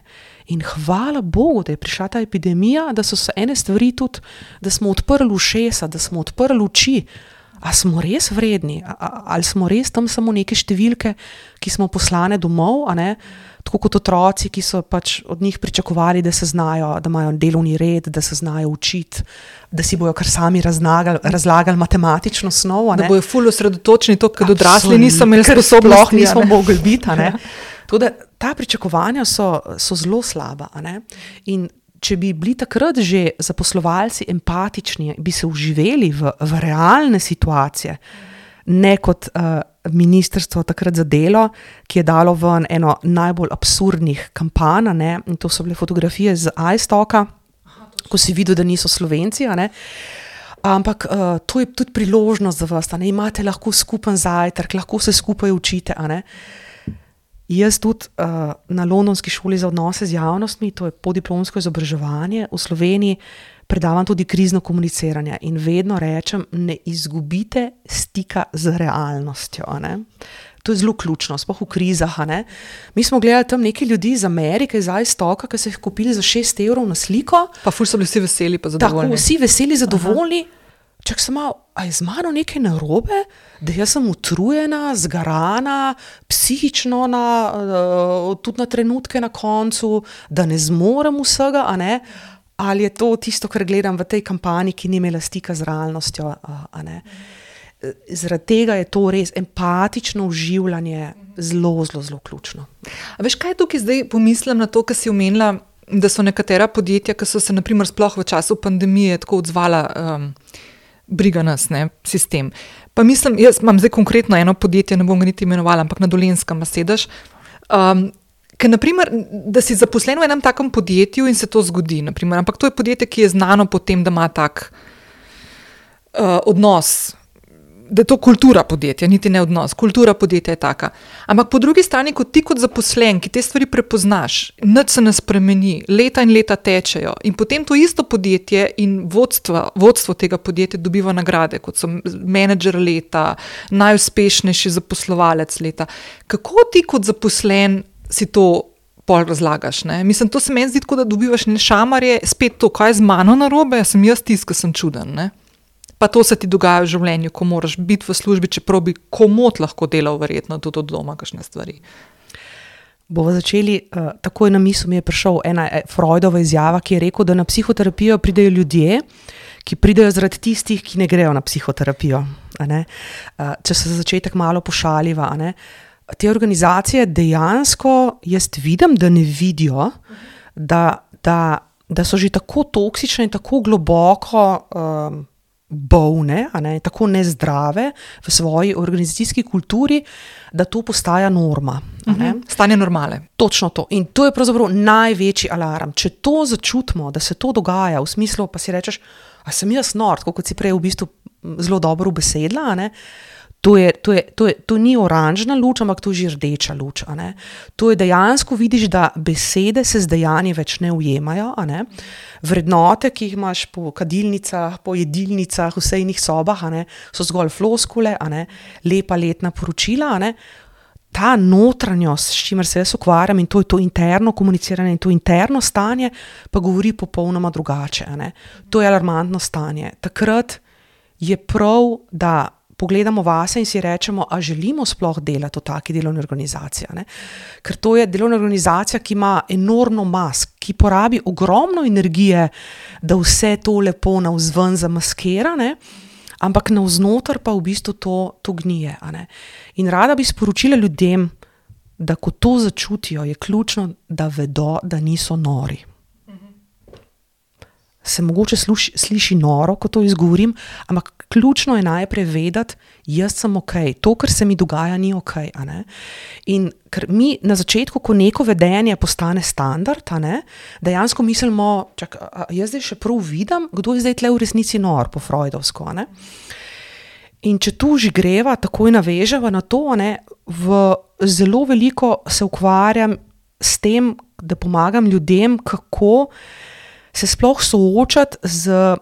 Speaker 2: In hvala Bogu, da je prišla ta epidemija, da so se ene stvari tudi, da smo odprli ušesa, da smo odprli oči. A smo res vredni? A, a, ali smo res tam samo neke številke, ki smo poslane domov, a ne? Tako kot otroci, ki so pač od njih pričakovali, da se znajo, da imajo delovni red, da se znajo učiti, da si bojo kar sami razlagali, razlagali matematično snov, a ne?
Speaker 1: Da bojo ful osredotočeni to, kad odrasli niso imeli sposobnosti,
Speaker 2: sploh nismo mogli biti, a ne? Tudi ta pričakovanja so, so zelo slaba, a ne? In če bi bili takrat že zaposlovalci empatični, bi se vživeli v, v realne situacije, ne kot uh, ministrstvo takrat za delo, ki je dalo ven eno najbolj absurdnih kampanj, ne? In to so bile fotografije z iStocka, ko si videl, da niso Slovenci, a ne? Ampak uh, to je tudi priložnost za vas, a ne? Imate lahko skupen zajtrk, lahko se skupaj učite, a ne? Jaz tudi uh, na Londonski šoli za odnose z javnostmi, to je podiplomsko izobraževanje, v Sloveniji predavam tudi krizno komuniciranje in vedno rečem, ne izgubite stika z realnostjo, a ne. To je zelo ključno, sploh v krizah, a ne. Mi smo gledali tam neki ljudi iz Amerike, iz iStocka, ki so jih kupili za šest evrov na sliko.
Speaker 1: Pa ful so bili vsi veseli pa zadovoljni.
Speaker 2: Tako, vsi veseli, zadovoljni. Aha. Čak sem malo, a je z mano nekaj narobe, da jaz sem utrujena, zgarana, psihično, na, uh, tudi na trenutke na koncu, da ne zmorem vsega, a ne, ali je to tisto, kar gledam v tej kampanji, ki ni imela stika z realnostjo, a, a ne. Zaradi tega je to res empatično vživljanje zelo, zelo, zelo ključno.
Speaker 1: A veš, kaj tukaj zdaj pomislim na to, kar si omenila, da so nekatera podjetja, ki so se na primer sploh v času pandemije tako odzvala, um, briga nas, ne, sistem. Pa mislim, jaz imam zdaj konkretno eno podjetje, ne bom ga niti imenovala, ampak na Dolenjskem sedež, um, ker naprimer, da si zaposlen v enem takem podjetju in se to zgodi, naprimer, ampak to je podjetje, ki je znano po tem, da ima tak uh, odnos da je to kultura podjetja, niti ne odnos, kultura podjetja je taka. Ampak po drugi strani, kot ti kot zaposlen, ki te stvari prepoznaš, nič se ne spremeni, leta in leta tečejo in potem to isto podjetje in vodstvo, vodstvo tega podjetja dobiva nagrade, kot so menedžer leta, najuspešnejši zaposlovalec leta. Kako ti kot zaposlen si to pol razlagaš, ne? Mislim, to se meni zdi tako, da dobivaš ne šamarje, spet to, kaj je z mano narobe, sem jaz tisti, ki sem čuden, ne? Pa to se ti dogaja v življenju, ko moraš biti v službi, čeprav bi komot lahko delal verjetno tudi od doma kakšne stvari.
Speaker 2: Bomo začeli, uh, takoj na misel mi je prišel ena Freudova izjava, ki je rekel, da na psihoterapijo pridejo ljudje, ki pridejo zaradi tistih, ki ne grejo na psihoterapijo. A ne? Uh, če se za začetek malo pošaliva, a ne? Te organizacije dejansko, jaz vidim, da ne vidijo, da, da, da so že tako toksične in tako globoko um, bolne, a ne, tako nezdrave v svoji organizacijski kulturi, da to postaja norma. A ne.
Speaker 1: Uh-huh. Stanje normale.
Speaker 2: Točno to. In to je pravzaprav največji alarm. Če to začutimo, da se to dogaja, v smislu, pa si rečeš, a sem jaz nor, tako kot si prej v bistvu zelo dobro ubesedla, a ne, To, je, to, je, to, je, to ni oranžna luč, ampak to je že rdeča luč. A ne? To je dejansko vidiš, da besede se z dejanji več ne ujemajo. A ne? Vrednote, ki jih imaš po kadilnicah, po jedilnicah, v sejnih sobah, a ne? So zgolj floskule, a ne? Lepa letna poročila. A ne? Ta notranjost, s čimer se jaz ukvarjam, in to je to interno komuniciranje in to interno stanje, pa govori popolnoma drugače. A ne? To je alarmantno stanje. Takrat je prav, da pogledamo vase in si rečemo, a želimo sploh delati v taki delovni organizaciji. Ne? Ker to je delovna organizacija, ki ima enormno mask, ki porabi ogromno energije, da vse to lepo navzven zamaskira, ne? Ampak navznoter pa v bistvu to, to gnije. A ne? In rada bi sporočila ljudem, da ko to začutijo, je ključno, da vedo, da niso nori. Se mogoče sluši, sliši noro, ko to izgovorim, ampak ključno je najprej vedeti, jaz sem ok, to, kar se mi dogaja, ni ok. A ne? In ker mi na začetku, ko neko vedenje postane standard, a ne, dejansko mislimo, čak, a jaz zdaj še prav vidim, kdo je zdaj tle v resnici nor, po freudovsko. A ne? In če tu že greva, takoj naveževa na to, a ne, v zelo veliko se ukvarjam s tem, da pomagam ljudem, kako se sploh soočati z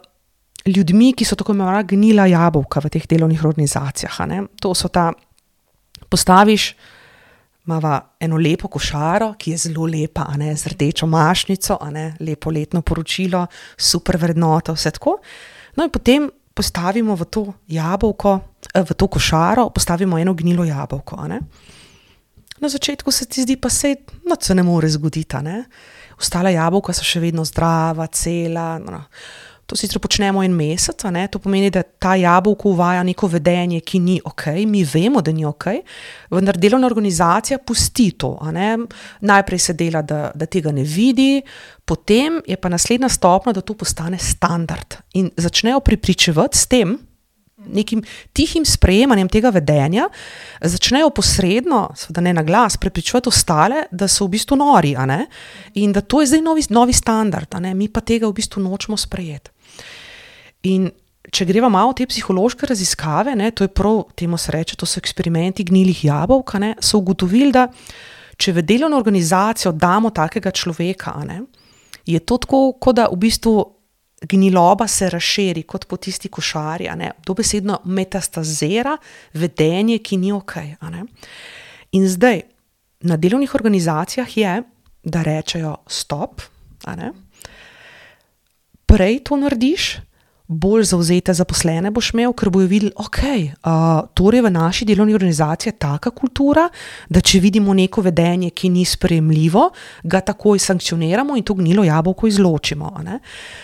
Speaker 2: ljudmi, ki so tako imenovana gnila jabolka v teh delovnih organizacijah. A ne? To so ta, postaviš, imava eno lepo košaro, ki je zelo lepa, a ne, z rdečo mašnico, a ne, lepo letno poročilo, super vrednota, vse tako. No in potem postavimo v to jabolko, v to košaro, postavimo eno gnilo jabolko. A ne? Na začetku se ti zdi, pa se noč se ne more zgoditi, a ne. Ostala jabolka so še vedno zdrava, cela. No. To sicer počnemo en mesec, a ne? To pomeni, da ta jabolko uvaja neko vedenje, ki ni ok, mi vemo, da ni ok, vendar delovna organizacija pusti to. A ne? Najprej se dela, da, da tega ne vidi, potem je pa naslednja stopnja, da to postane standard. In začnejo prepričevati s tem, nekim tihim sprejemanjem tega vedenja, začnejo posredno, seveda ne na glas, prepričevati ostale, da so v bistvu nori, a ne? In da to je zdaj novi, novi standard, a ne? Mi pa tega v bistvu nočemo sprejeti. In če greva malo te psihološke raziskave, ne, to je prav, temu se reče, to so eksperimenti gnilih jabolk, a ne, so ugotovili, da če v delovno organizacijo damo takega človeka, a ne, je to tako, kot da v bistvu gniloba se razširi kot po tisti košari, a ne, dobesedno metastazira vedenje, ki ni ok. A ne. In zdaj, na delovnih organizacijah je, da rečejo stop, a ne. Prej to narediš, bolj zavzete zaposlene boš imel, ker bojo videli, ok, uh, torej v naši delovni organizaciji je taka kultura, da če vidimo neko vedenje, ki ni sprejemljivo, ga takoj sankcioniramo in to gnilo jabolko izločimo. A ne?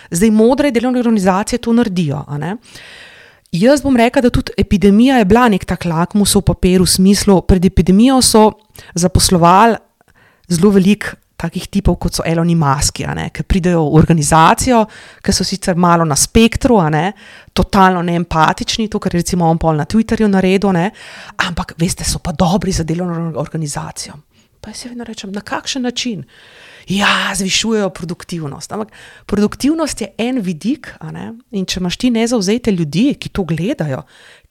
Speaker 2: Zdaj modre delovne organizacije to naredijo. A ne? Jaz bom rekla, da tudi epidemija je bila nek tak lakmusov papir v smislu, pred epidemijo so zaposlovali zelo veliko takih tipov, kot so Eloni Muski, a ne, ki pridejo v organizacijo, ki so sicer malo na spektru, a ne, totalno neempatični, to, kar je recimo on pol na Twitterju naredil, ne, ampak, veste, so pa dobri za delovno organizacijo. Pa jaz vedno rečem, na kakšen način? Ja, zvišujejo produktivnost. Ampak produktivnost je en vidik, a ne? In če imaš ti nezavzete ljudi, ki to gledajo,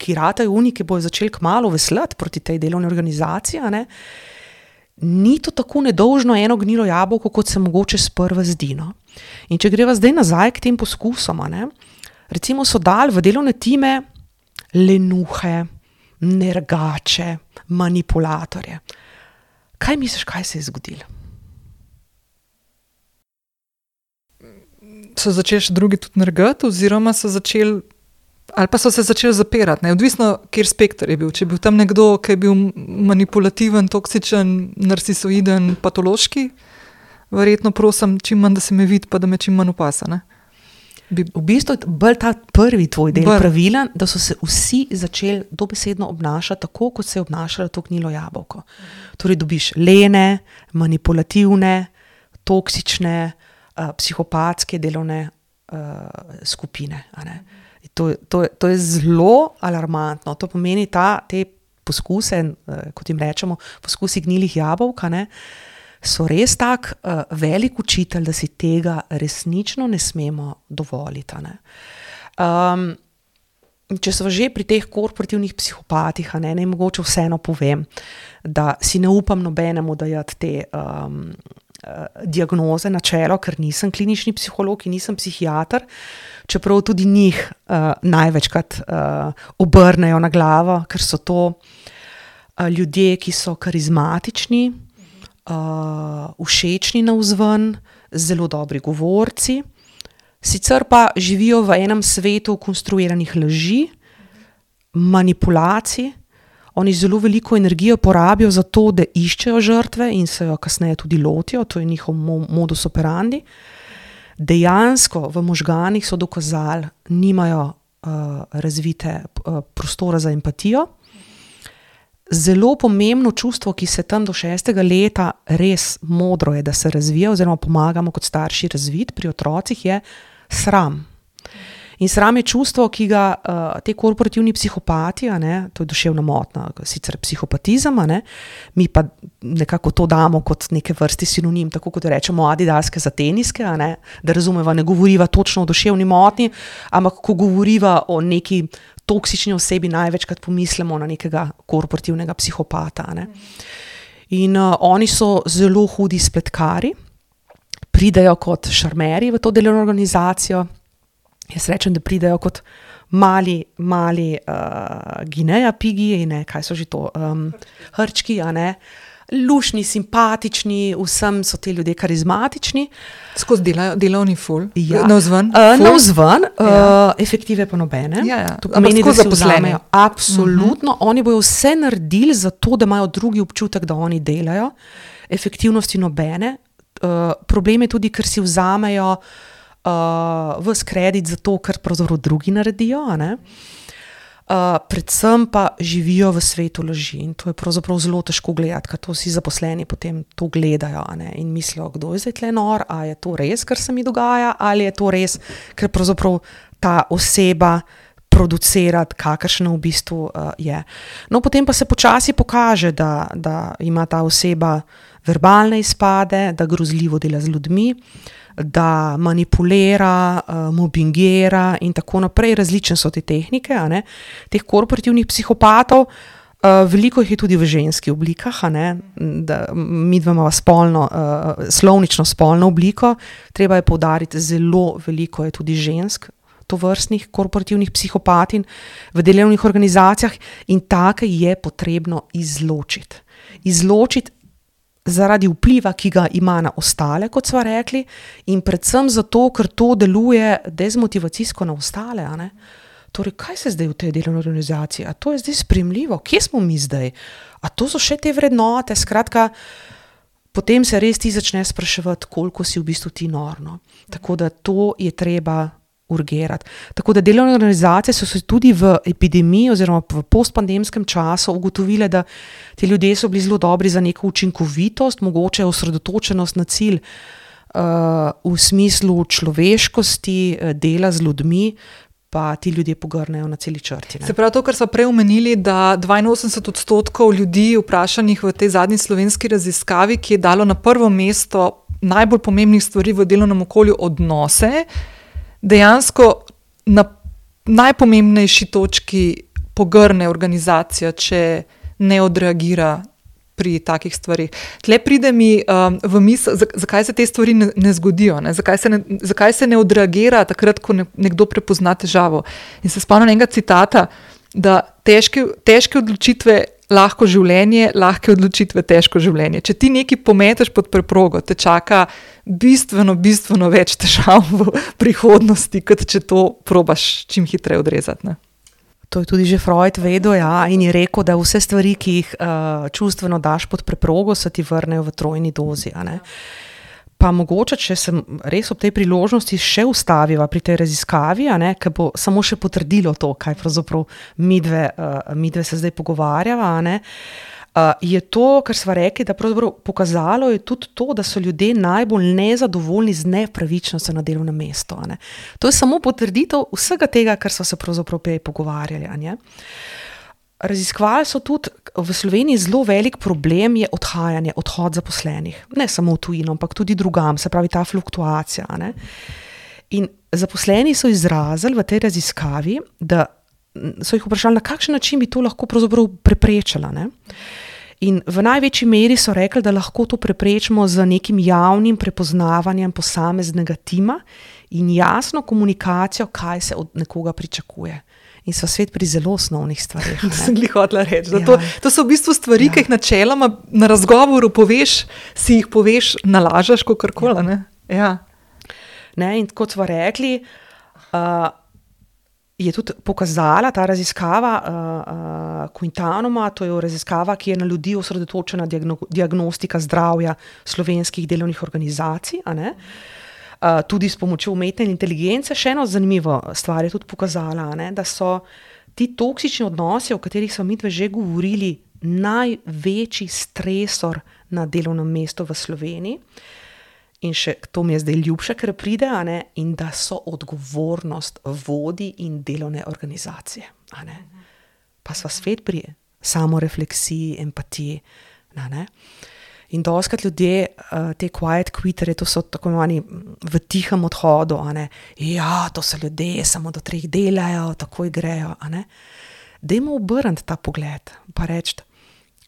Speaker 2: ki ratajo oni, ki bojo začeli kmalu veslati proti tej delovni organizaciji, a ne? Ni to tako nedolžno eno gnilo jabolko, kot se mogoče sprva zdi. No? In če greva zdaj nazaj k tem poskusom, a ne? Recimo so dali v delovne time lenuhe, nergače, manipulatorje. Kaj misliš, kaj se je zgodilo?
Speaker 1: So začeli še drugi tudi nergati, oziroma so začeli, ali pa so se začeli zapirati, ne? Odvisno, kjer spekter je bil. Če je bil tam nekdo, ki je bil manipulativen, toksičen, narcisoiden, patološki, verjetno prosim, čim manj, da se me vidi, pa da me čim manj opasa, ne?
Speaker 2: Bi... V bistvu je bolj ta prvi tvoj del Br. pravilen, da so se vsi začeli dobesedno obnašati tako, kot se je obnašalo to gnilo jabolko. Torej dobiš lene, manipulativne, toksične, uh, psihopatske delovne uh, skupine. A ne? To, to, to je zelo alarmantno. To pomeni ta, te poskuse, uh, kot jim rečemo, poskusi gnilih jabolk, ne? So res tak uh, velik učitelj, da si tega resnično ne smemo dovoliti. Ne? Um, če smo že pri teh korporativnih psihopatih, ne, ne mogoče vseeno povem, da si ne upam nobenemu dajati te um, uh, diagnoze na čelo, ker nisem klinični psiholog in nisem psihiater, čeprav tudi njih uh, največkrat uh, obrnejo na glavo, ker so to uh, ljudje, ki so karizmatični, Uh, všečni navzven, zelo dobri govorci, sicer pa živijo v enem svetu konstruiranih laži, manipulacij. Oni zelo veliko energijo porabijo za to, da iščejo žrtve in se jo kasneje tudi lotijo, to je njihov modus operandi. Dejansko v možganih so dokazali, nimajo uh, razvite uh, prostora za empatijo. Zelo pomembno čustvo, ki se tam do šestega leta res modro je, da se razvija oziroma pomagamo kot starši razviti pri otrocih, je sram. In sram je čustvo, ki ga uh, te korporativni psihopati, a ne, to je duševna motnja, sicer psihopatizem, a ne, mi pa nekako to damo kot neke vrsti sinonim, tako kot rečemo adidaske za teniske, a ne, da razumeva, ne govoriva točno o duševni motnji, ampak ko govoriva o neki toksični osebi, največkrat pomislimo na nekega korporativnega psihopata. Ne? In uh, oni so zelo hudi spletkari, pridejo kot šarmeri v to delovno organizacijo. Jaz rečem, da pridejo kot mali, mali uh, Gineja pigi, ne, kaj so že to, um, hrčki, a ne, lušni, simpatični, vsem so te ljudje karizmatični.
Speaker 1: Skozi delajo, delovni ful,
Speaker 2: ja.
Speaker 1: navzven.
Speaker 2: Uh, navzven, ja. uh, efektive pa nobene.
Speaker 1: Ja, ja.
Speaker 2: To pomeni, da se vzamejo. Absolutno. Uh-huh. Oni bojo vse naredili za to, da imajo drugi občutek, da oni delajo. Efektivnosti nobene. Uh, problem je tudi, ker si vzamejo uh, ves kredit za to, kar pravzaprav drugi naredijo, a ne? Uh, predvsem pa živijo v svetu laži in to je pravzaprav zelo težko gledati, ker to vsi zaposleni potem to gledajo, a ne, in mislijo, kdo je zdaj tle nor, a je to res, kar se mi dogaja, ali je to res, ker pravzaprav ta oseba producira, kakršna v bistvu uh, je. No, potem pa se počasi pokaže, da, da ima ta oseba verbalne izpade, da grozljivo dela z ljudmi, da manipulira, uh, mobbingira in tako naprej. Različne so te tehnike, a ne, teh korporativnih psihopatov. Uh, veliko jih je tudi v ženskih oblikah, a ne, da mi dva imamo spolno, uh, slovnično spolno obliko. Treba je poudariti, zelo veliko je tudi žensk tovrstnih korporativnih psihopatin v delovnih organizacijah in take je potrebno izločiti. Izločiti zaradi vpliva, ki ga ima na ostale, kot sva rekli, in predvsem zato, ker to deluje dezmotivacijsko na ostale. A ne? Torej, kaj se zdaj v tej delovni organizaciji? A to je zdaj sprejemljivo? Kje smo mi zdaj? A to so še te vrednote? Skratka, potem se res ti začne spraševati, koliko si v bistvu ti norno. Tako da to je treba urgirati. Tako da delovne organizacije so se tudi v epidemiji oziroma v postpandemskem času ugotovile, da ti ljudje so bili zelo dobri za neko učinkovitost, mogoče osredotočenost na cilj uh, v smislu človeškosti, dela z ljudmi, pa ti ljudje pogrnejo na celi črti. Ne.
Speaker 1: Se pravi to, kar smo prej omenili, da dvainosemdeset odstotkov ljudi vprašanih v tej zadnji slovenski raziskavi, ki je dalo na prvo mesto najbolj pomembnih stvari v delovnem okolju odnose, dejansko na najpomembnejši točki pogrne organizacija, če ne odreagira pri takih stvarih. Tle pride mi um, v misel, zakaj se te stvari ne, ne zgodijo, ne? Zakaj, se ne, zakaj se ne odreagira takrat, ko ne, nekdo prepozna težavo. In se spomnim enega citata, da težke, težke odločitve lahko življenje, lahke odločitve težko življenje. Če ti nekaj pometeš pod preprogo, te čaka bistveno, bistveno več težav v prihodnosti, kot če to probaš čim hitreje odrezati. Ne?
Speaker 2: To je tudi že Freud vedel, ja, in je rekel, da vse stvari, ki jih uh, čustveno daš pod preprogo, se ti vrnejo v trojni dozi. A ne? Pa mogoče, če se res ob tej priložnosti še ustaviva pri tej raziskavi, a ne, ker bo samo še potrdilo to, kaj pravzaprav midve, uh, midve se zdaj pogovarjava, a ne, uh, je to, kar sva rekli, da pravzaprav pokazalo je tudi to, da so ljudje najbolj nezadovoljni z nepravičnostjo na delovnem mestu. A ne. To je samo potrditev vsega tega, kar sva se pravzaprav prej pogovarjali. A ne. Raziskovali so tudi, v Sloveniji zelo velik problem je odhajanje, odhod zaposlenih. Ne samo v tujino, ampak tudi drugam, se pravi ta fluktuacija. Ne? In zaposleni so izrazili v tej raziskavi, da so jih vprašali, na kakšen način bi to lahko pravzaprav preprečila. Ne? In v največji meri so rekli, da lahko to preprečimo z nekim javnim prepoznavanjem posameznega tima in jasno komunikacijo, kaj se od nekoga pričakuje. In so svet pri zelo osnovnih stvarih.
Speaker 1: To sem glih hotela reči. Ja. To, to so v bistvu stvari, ja. Ki jih načeloma na razgovoru poveš, si jih poveš, nalažeš, kakorkoli. Ne? Ja.
Speaker 2: Ne, in kot smo rekli, uh, je tudi pokazala ta raziskava uh, uh, Quintanuma, to je raziskava, ki je na ljudi osredotočena diagno, diagnostika zdravja slovenskih delovnih organizacij, a ne? Uh, tudi s pomočjo umetne inteligence. Še eno zanimivo stvar je tudi pokazala, ne, da so ti toksični odnosi, o katerih smo midve že govorili, največji stresor na delovnem mestu v Sloveniji. In še to mi je zdaj ljubše, ker pride, a ne, in da so odgovornost vodij in delovne organizacije. A ne. Pa sva svet pri samorefleksiji, empatiji. A ne. In doskrat ljudje, uh, te quiet quitterje, to so tako imenovani v tihem odhodu, a ne, ja, to so ljudje, samo do treh delajo, takoj grejo, a ne. Dajmo obrniti ta pogled, pa reči,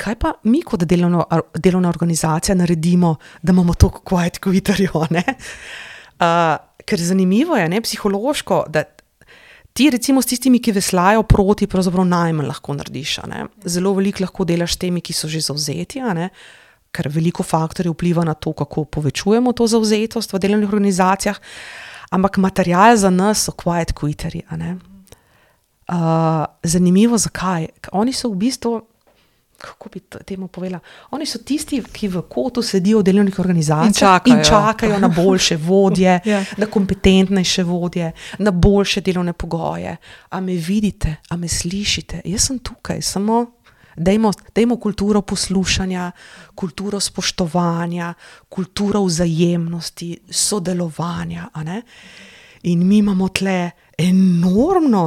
Speaker 2: kaj pa mi kot delovno, delovna organizacija naredimo, da imamo toliko quiet quitterjev, a ne. Uh, ker zanimivo je, ne, psihološko, da ti recimo s tistimi, ki veslajo proti, pravzaprav najmanj lahko narediš, a ne. Zelo veliko lahko delaš s temi, ki so že zavzeti, a ne. Ker veliko faktorjev vpliva na to, kako povečujemo to zavzetost v delovnih organizacijah, ampak material za nas so quiet quitterji. Uh, zanimivo, zakaj? Oni so v bistvu, kako bi temu povedala, oni so tisti, ki v kotu sedijo v delovnih organizacijah in čakajo, in čakajo na boljše vodje, yeah. na kompetentnejše vodje, na boljše delovne pogoje. A me vidite, a me slišite? Jaz sem tukaj, samo... Dajmo, dajmo kulturo poslušanja, kulturo spoštovanja, kulturo vzajemnosti, sodelovanja. A ne? In mi imamo tle enormno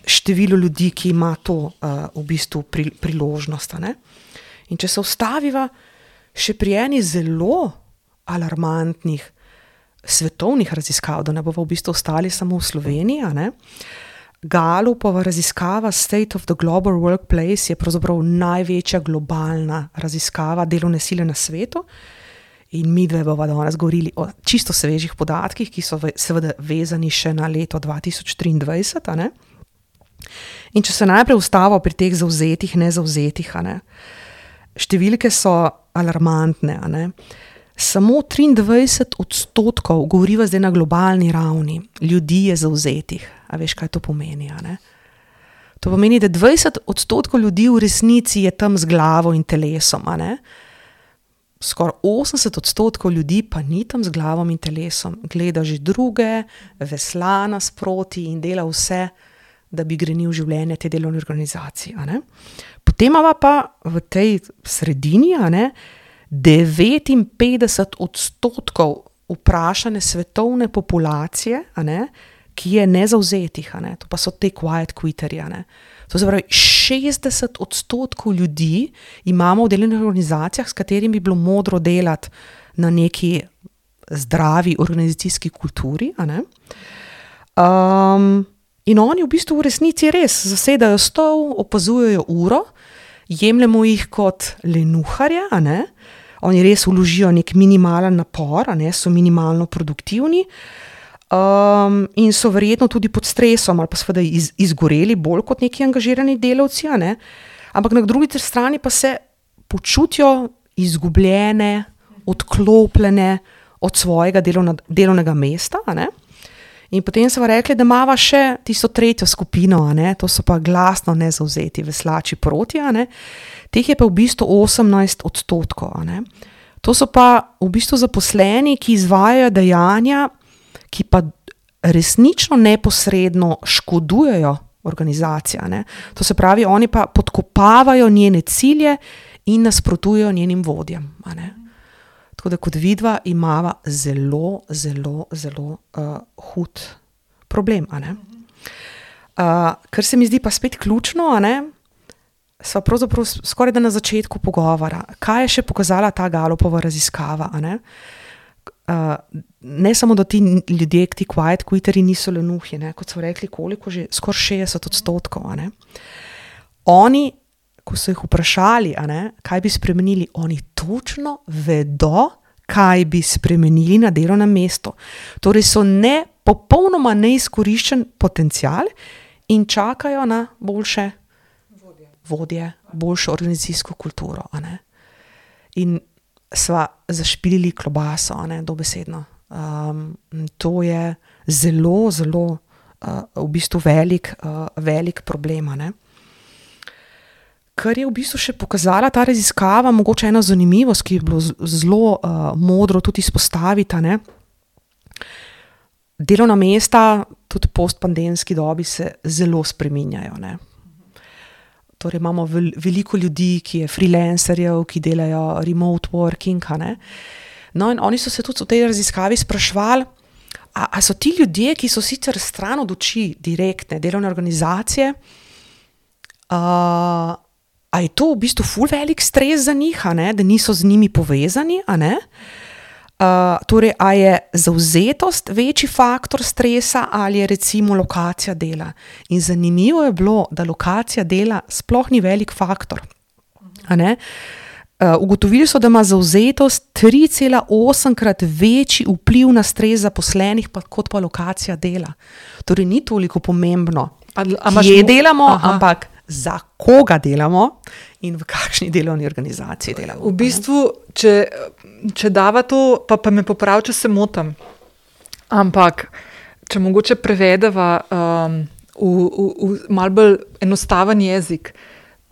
Speaker 2: število ljudi, ki ima to uh, v bistvu pri, priložnost. A ne? In če se ustaviva še pri eni zelo alarmantnih svetovnih raziskav, da ne bomo v bistvu ostali samo v Sloveniji, a ne? Galupova raziskava State of the Global Workplace je pravzaprav največja globalna raziskava delovne sile na svetu in mi dve bova danes govorili o čisto svežih podatkih, ki so seveda vezani še na leto dva tisoč triindvajset. A ne? In če se najprej ustavo pri teh zavzetih, nezavzetih, a ne? Številke so alarmantne. A ne? Samo triindvajset odstotkov, govoriva zdaj na globalni ravni, ljudi je zavzetih. A veš, kaj to pomeni, a ne? To pomeni, da dvajset odstotkov ljudi v resnici je tam z glavo in telesom, a ne? Skoraj osemdeset odstotkov ljudi pa ni tam z glavom in telesom. Gleda že druge, vesla nasproti in dela vse, da bi grenil življenje te delovne organizacije, a ne? Potem imava pa v tej sredini, a ne, devetinpetdeset odstotkov vprašane svetovne populacije, a ne, ki je nezauzetih, a ne? To pa so te quiet quitterji. A ne? To se pravi, šestdeset odstotkov ljudi imamo v delovnih organizacijah, s katerimi bi bilo modro delati na neki zdravi organizacijski kulturi. A ne? Um, in oni v bistvu v resnici res zasedajo stol, opazujejo uro, jemljemo jih kot lenuharje, a ne? Oni res vložijo nek minimalen napor, a ne? So minimalno produktivni um, in so verjetno tudi pod stresom ali pa seveda iz, izgoreli bolj kot neki angažirani delavci, a ne? Ampak na drugi strani pa se počutijo izgubljene, odklopljene od svojega delovna, delovnega mesta, a ne? In potem so rekli, da imava še tisto tretjo skupino, a ne? To so pa glasno nezauzeti veslači proti, a ne? Teh je pa v bistvu osemnajst odstotkov. A ne? To so pa v bistvu zaposleni, ki izvajajo dejanja, ki pa resnično neposredno škodujejo organizacijo. A ne? To se pravi, oni pa podkopavajo njene cilje in nasprotujejo njenim vodjem. A ne? Tako da kot vidva imava zelo, zelo, zelo uh, hud problem. A ne? Uh, kar se mi zdi pa spet ključno, a ne? Sva pravzaprav skoraj da na začetku pogovora. Kaj je še pokazala ta Gallupova raziskava? A ne? Uh, ne samo, da ti ljudje, ti quiet quitterji niso lenuhi, ne? Kot so rekli, koliko že, skoraj šestdeset odstotkov. A ne? Oni, ko so jih vprašali, a ne, kaj bi spremenili, oni točno vedo, kaj bi spremenili na delovnem mestu. Torej so ne, popolnoma neizkoriščen potencial in čakajo na boljše vodje, vodje boljšo organizacijsko kulturo. A ne. In sva zašpilili klobaso, a ne, dobesedno. Um, to je zelo, zelo uh, v bistvu velik, uh, velik problem, a ne. Kar je v bistvu še pokazala ta raziskava, mogoče ena zanimivost, ki je bilo zelo uh, modro tudi izpostaviti, ne. Delovna mesta tudi v postpandemski dobi se zelo spreminjajo, ne. Torej imamo vel, veliko ljudi, ki je freelancerjev, ki delajo remote working, a ne. No in oni so se tudi v tej raziskavi spraševali, a, a so ti ljudje, ki so sicer stran od oči direktne delovne organizacije, uh, a je to v bistvu ful velik stres za njih, a ne, da niso z njimi povezani, a ne? Uh, torej, a je zavzetost večji faktor stresa ali je recimo lokacija dela? In zanimivo je bilo, da lokacija dela sploh ni velik faktor, a ne? Uh, ugotovili so, da ima zavzetost tri cela osem krat večji vpliv na stres zaposlenih pa, kot pa lokacija dela. Torej, ni toliko pomembno, a, a kje delamo, aha, ampak za koga delamo in v kakšni delovni organizaciji delamo.
Speaker 1: V bistvu, če, če dava to, pa, pa me popravi, če se motim, ampak če mogoče prevedeva um, v, v, v malo bolj enostaven jezik,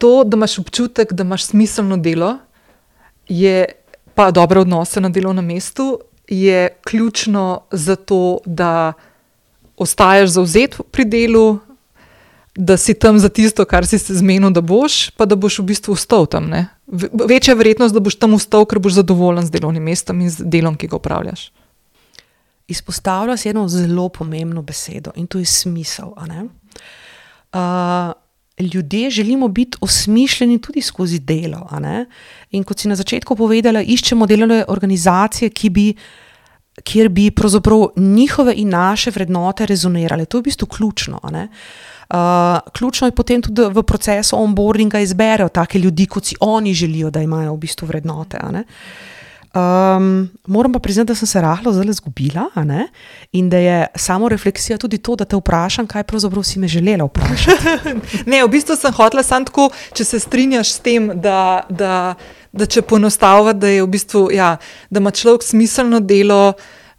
Speaker 1: to, da imaš občutek, da imaš smiselno delo, je pa dobre odnose na delovnem mestu, je ključno za to, da ostajaš zavzet pri delu, da si tam za tisto, kar si se zmenil, da boš, pa da boš v bistvu ostal tam. Ne? Večja verjetnost, da boš tam ostal, ker boš zadovoljen z delovnim mestom in z delom, ki ga opravljaš.
Speaker 2: Izpostavlja si eno zelo pomembno besedo in to je smisel. A ne? Uh, ljudje želimo biti osmišljeni tudi skozi delo. A ne? In kot si na začetku povedala, iščemo delovne organizacije, ki bi, kjer bi pravzaprav njihove in naše vrednote rezonirale. To je v bistvu ključno. A ne? Uh, ključno je potem tudi v procesu onboardinga izberejo take ljudi, kot si oni želijo, da imajo v bistvu vrednote. A ne? Um, moram pa priznati, da sem se rahlo zelo zgubila, a ne? In da je samo refleksija tudi to, da te vprašam, kaj pravzaprav si me želela vprašati.
Speaker 1: Ne, v bistvu sem hotela samo tako, če se strinjaš s tem, da, da, da če poenostavlja, da je v bistvu, ja, da ima človek smiselno delo,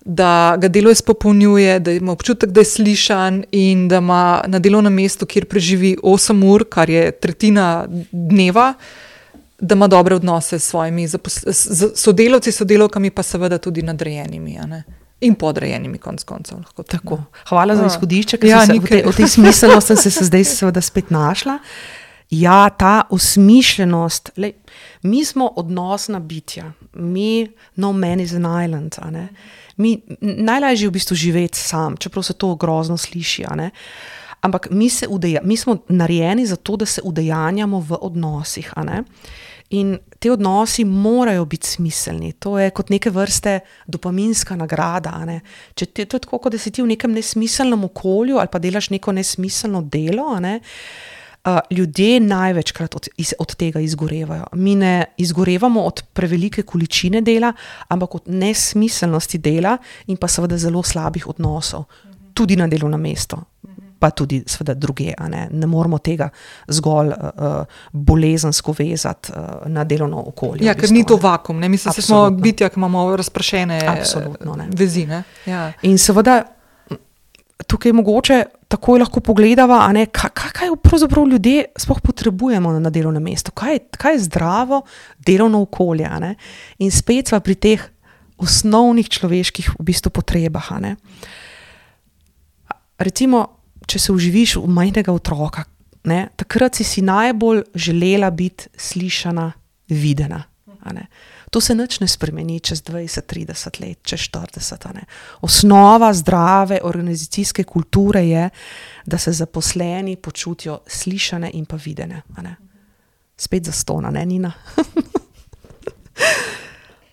Speaker 1: da ga delo izpopolnjuje, da ima občutek, da je slišan in da ima na delovnem mestu, kjer preživi osem ur, kar je tretjina dneva, da ima dobre odnose s svojimi sodelavci, sodelavkami, pa seveda tudi nadrejenimi, a ne? In podrejenimi konc koncev. Lahko
Speaker 2: tako. Hvala za izhodišče, ker ja, sem se v, te, v tej smiselnosti sem se zdaj seveda spet našla. Ja, ta osmišljenost, lej, mi smo odnosna bitja, mi, no man is an island, a ne? Mi, najlažje je v bistvu živeti sam, čeprav se to grozno sliši, a ne? Ampak mi, se udeja, mi smo narejeni za to, da se udejanjamo v odnosih, a ne? In te odnosi morajo biti smiselni. To je kot neke vrste dopaminska nagrada, a ne? Če te, to je tako, kot da si ti v nekem nesmiselnem okolju ali pa delaš neko nesmiselno delo, a ne? Uh, ljudje največkrat od, iz, od tega izgorevajo. Mi ne izgorevamo od prevelike količine dela, ampak od nesmiselnosti dela in pa seveda zelo slabih odnosov. Tudi na delovnem mestu, pa tudi seveda druge. A ne? Ne moramo tega zgolj uh, bolezensko vezati uh, na delovno okolje.
Speaker 1: Ja, ker
Speaker 2: v bistvu,
Speaker 1: ni to vakum. Ne? Mislim, da smo bitja, ki imamo razprašene
Speaker 2: ne.
Speaker 1: vezi. Ne? Ja.
Speaker 2: In seveda tukaj mogoče takoj lahko pogledava, a ne, kaj, kaj pravzaprav ljudje sploh potrebujemo na delovnem mestu, kaj, kaj je zdravo delovno okolje, a ne? In spet sva pri teh osnovnih človeških v bistvu potrebah, a ne? Recimo, če se vživiš v majhnega otroka, ne, takrat si si najbolj želela biti slišana, videna, a ne? To se nič ne spremeni čez dvajset, trideset let, čez štirideset. Ne. Osnova zdrave organizacijske kulture je, da se zaposleni počutijo slišane in pa videne. Ne. Spet zastona, ne, Nina?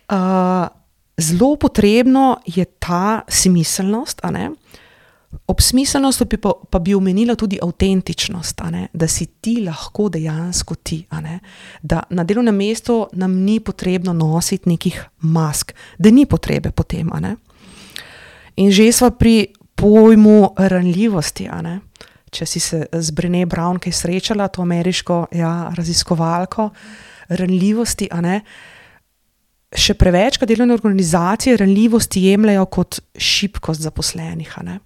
Speaker 2: uh, zelo potrebno je ta smiselnost, a ne? Ob smiselnosti bi pa, pa bi omenila tudi avtentičnost, a ne? Da si ti lahko dejansko ti, a ne? Da na delovnem mestu nam ni potrebno nositi nekih mask, da ni potrebe po tem, a ne? In že sva pri pojmu ranljivosti, a ne? Če si se z Brené Brown kaj srečala, to ameriško ja, raziskovalko ranljivosti, a ne? Še prevečkrat delovne organizacije ranljivosti jemljajo kot šibkost zaposlenih, a ne?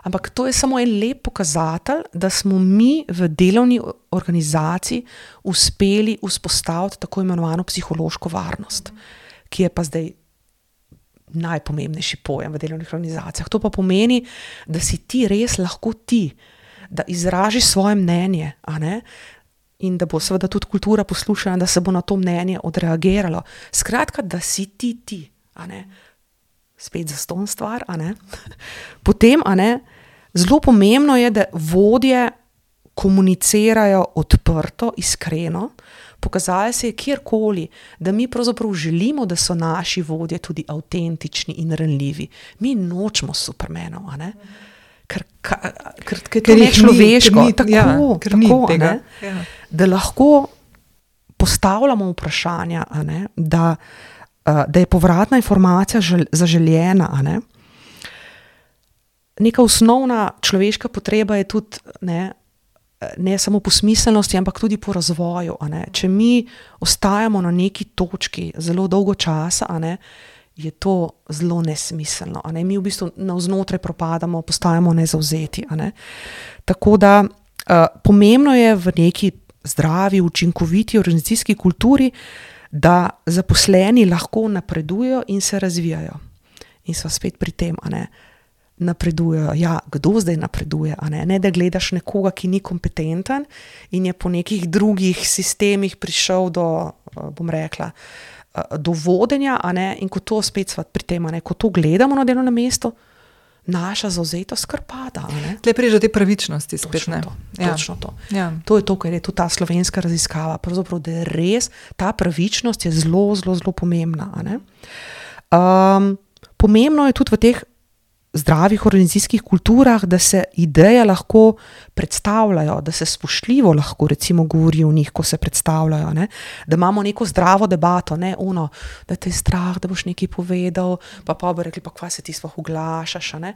Speaker 2: Ampak to je samo en lep pokazatelj, da smo mi v delovni organizaciji uspeli vzpostaviti tako imenovano psihološko varnost, ki je pa zdaj najpomembnejši pojem v delovnih organizacijah. To pa pomeni, da si ti res lahko ti, da izražiš svoje mnenje, a ne? In da bo seveda tudi kultura poslušana, da se bo na to mnenje odreagiralo. Skratka, da si ti ti, a ne? Spet zastonj stvar, a ne? Potem, a ne, zelo pomembno je, da vodje komunicirajo odprto, iskreno, pokazali se je kjerkoli, da mi pravzaprav želimo, da so naši vodje tudi avtentični in ranljivi. Mi nočemo supermenov, a ne? Ker, ker, ker, ker to je človeško, tako, ja, tako ne? Ja. Da lahko postavljamo vprašanja, a ne? Da da je povratna informacija zaželjena, a ne? Neka osnovna človeška potreba je tudi, ne, ne samo po smiselnosti, ampak tudi po razvoju, a ne? Če mi ostajamo na neki točki zelo dolgo časa, a ne, je to zelo nesmiselno, a ne? Mi v bistvu navznotraj propadamo, postajamo nezavzeti, a ne? Tako da uh, pomembno je v neki zdravi, učinkoviti organizacijski kulturi, da zaposleni lahko napredujejo in se razvijajo. In so spet pri tem, a ne, napredujejo. Ja, kdo zdaj napreduje, a ne? Ne, da gledaš nekoga, ki ni kompetenten in je po nekih drugih sistemih prišel do, bom rekla, do vodenja, a ne, in ko to spet sva pri tem, a ne, ko to gledamo na delovnem mestu, naša zavzetost kar pada.
Speaker 1: Tle prije te pravičnosti spet,
Speaker 2: točno
Speaker 1: ne?
Speaker 2: To,
Speaker 1: ja.
Speaker 2: Točno to.
Speaker 1: Ja.
Speaker 2: To je to, kar je tudi ta slovenska raziskava. Pravzaprav, da je res, ta pravičnost je zelo, zelo, zelo pomembna. A ne? Um, pomembno je tudi v teh zdravih organizacijskih kulturah, da se ideje lahko predstavljajo, da se spoštljivo lahko recimo govori o njih, ko se predstavljajo, ne? Da imamo neko zdravo debato, ne ono, da te je strah, da boš nekaj povedal, pa pa bo rekli, pa kva se ti sploh oglašaš, a ne?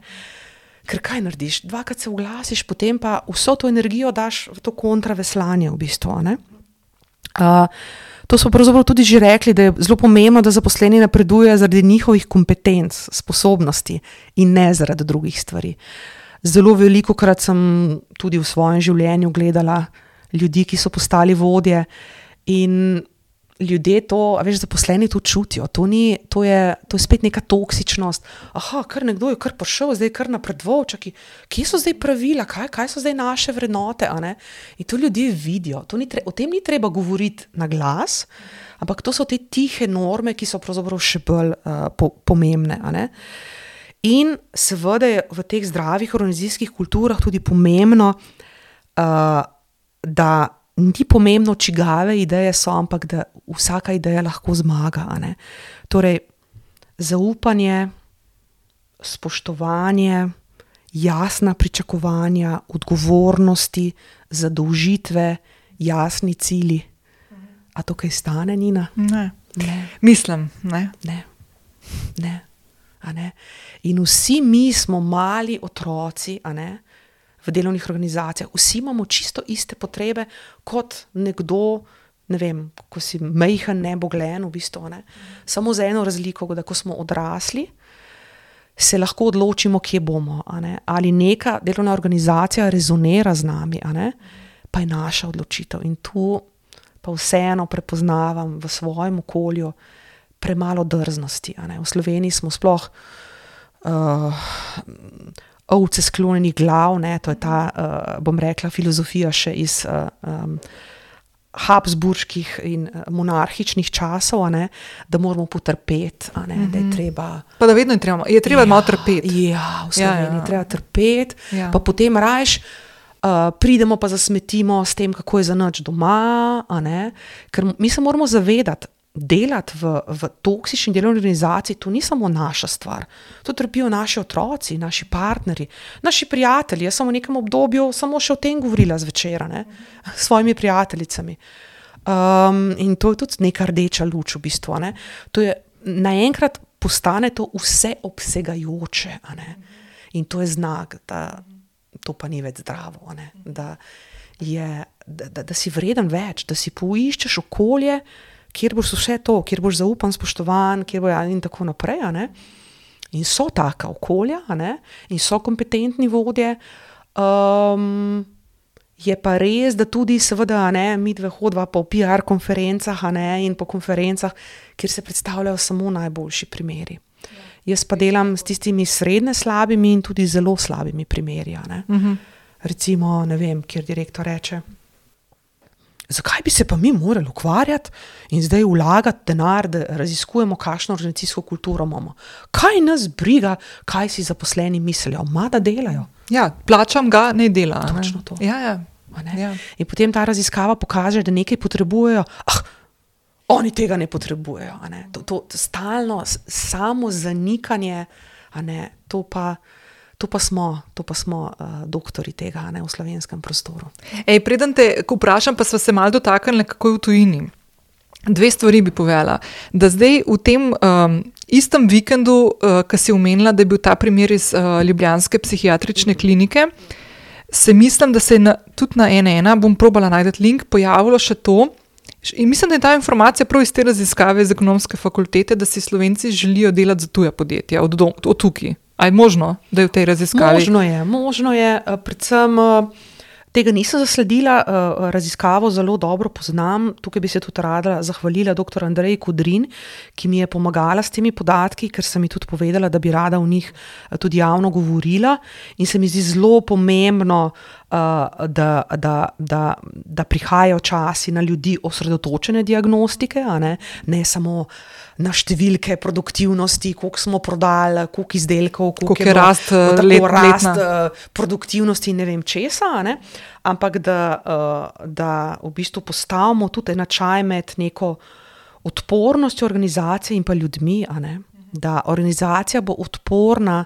Speaker 2: Ker kaj narediš? Dvakrat se oglasiš, potem pa vso to energijo daš v to kontraveslanje v bistvu, a ne? Uh, To smo pravzaprav tudi že rekli, da je zelo pomembno, da zaposleni napreduje zaradi njihovih kompetenc, sposobnosti in ne zaradi drugih stvari. Zelo veliko krat sem tudi v svojem življenju gledala ljudi, ki so postali vodje in ljudje to, a veš, zaposleni to čutijo. To, ni, to, je, to je spet neka toksičnost. Aha, kar nekdo je kar prišel, zdaj kar napredoval, čaki, kje so zdaj pravila, kaj, kaj so zdaj naše vrednote, a ne? In to ljudje vidijo. To ni tre, o tem ni treba govoriti na glas, ampak to so te tihe norme, ki so pravzaprav še bolj uh, po, pomembne, a ne? In seveda je v teh zdravih organizacijskih kulturah tudi pomembno, uh, da ni pomembno, čigave ideje so, ampak da vsaka ideja lahko zmaga. A ne? Torej, zaupanje, spoštovanje, jasna pričakovanja, odgovornosti, zadolžitve, jasni cilji. A to kaj stane, Nina?
Speaker 1: Ne.
Speaker 2: Ne.
Speaker 1: Mislim, ne.
Speaker 2: Ne. Ne. A ne? In vsi mi smo mali otroci, a ne? V delovnih organizacijah. Vsi imamo čisto iste potrebe kot nekdo, ne vem, ko si majhen, neboglen, v bistvu, ne. Samo za eno razliko, da ko smo odrasli, se lahko odločimo, kje bomo, a ne. Ali neka delovna organizacija rezonira z nami, a ne, pa je naša odločitev. In tu pa vseeno prepoznavam v svojem okolju premalo drznosti, a ne. V Sloveniji smo sploh uh, ovce sklonjenih glav, ne, to je ta, uh, bom rekla, filozofija še iz uh, um, habsburških in uh, monarhičnih časov, a ne, da moramo potrpeti, a ne, mm-hmm. da je treba...
Speaker 1: Pa da vedno je treba, je treba ja, malo trpeti.
Speaker 2: Ja, v Sloveniji ja, ja. treba trpeti,
Speaker 1: ja.
Speaker 2: pa potem rajš uh, pridemo pa zasmetimo s tem, kako je za nič doma, a ne, ker mi se moramo zavedati, delati v, v toksični delovni organizaciji, to ni samo naša stvar. To trpijo naši otroci, naši partnerji, naši prijatelji. Jaz sem v nekem obdobju samo še o tem govorila zvečera, ne, s svojimi prijateljicami. Um, in to je tudi neka rdeča luč v bistvu, ne. To je, naenkrat postane to vse obsegajoče, a ne. In to je znak, da to pa ni več zdravo, a ne. Da, je, da, da, da si vreden več, da si poiščeš okolje, kjer boš vse to, kjer boš zaupan, spoštovan, kjer boš in tako naprej, a ne? In so taka okolja, a ne? In so kompetentni vodje. Um, je pa res, da tudi seveda, a ne, mi dve hodva po P R konferencah, a ne, in po konferencah, kjer se predstavljajo samo najboljši primeri. Ja. Jaz pa delam s tistimi srednje slabimi in tudi zelo slabimi primeri, a ne? Uh-huh. Recimo, ne vem, kjer direktor reče, zakaj bi se pa mi morali ukvarjati in zdaj vlagati denar, da raziskujemo, kakšno organizacijsko kulturo imamo. Kaj nas briga, kaj si zaposleni mislijo? Ma da delajo.
Speaker 1: Ja, plačam ga, ne dela.
Speaker 2: Točno
Speaker 1: ne?
Speaker 2: to.
Speaker 1: Ja, ja.
Speaker 2: Ne?
Speaker 1: Ja.
Speaker 2: In potem ta raziskava pokaže, da nekaj potrebujejo, ah, oni tega ne potrebujejo. A ne? To, to stalno samo zanikanje, a ne, to pa... To pa smo, to pa smo uh, doktori tega, ne, v slovenskem prostoru.
Speaker 1: Ej, preden te vprašam, pa sva se malo dotaknili, kako je v tujini. Dve stvari bi povedala. Da zdaj v tem um, istem vikendu, uh, ki si omenila, da je bil ta primer iz uh, ljubljanske psihiatrične klinike, se mislim, da se je na, tudi na ena ena, bom probala najti link, pojavilo še to. In mislim, da je ta informacija prav iz te raziskave iz ekonomske fakultete, da si Slovenci želijo delati za tuja podjetja, od, dom, od tukaj. A je možno, da je v tej raziskavi?
Speaker 2: Možno je, možno je, predvsem tega nisem zasledila, raziskavo zelo dobro poznam, tukaj bi se tudi rada zahvalila doktor Andreji Kudrin, ki mi je pomagala s temi podatki, ker sem mi tudi povedala, da bi rada v njih tudi javno govorila in se mi zdi zelo pomembno, da, da, da, da prihajajo časi na ljudi osredotočene diagnostike, a ne, ne samo na številke produktivnosti, koliko smo prodali, koliko izdelkov, koliko, koliko je rast, let, rast produktivnosti in ne vem česa, ne? Ampak da, da v bistvu postavimo tudi enačaj med neko odpornostjo organizacije in pa ljudmi, a ne? Da organizacija bo odporna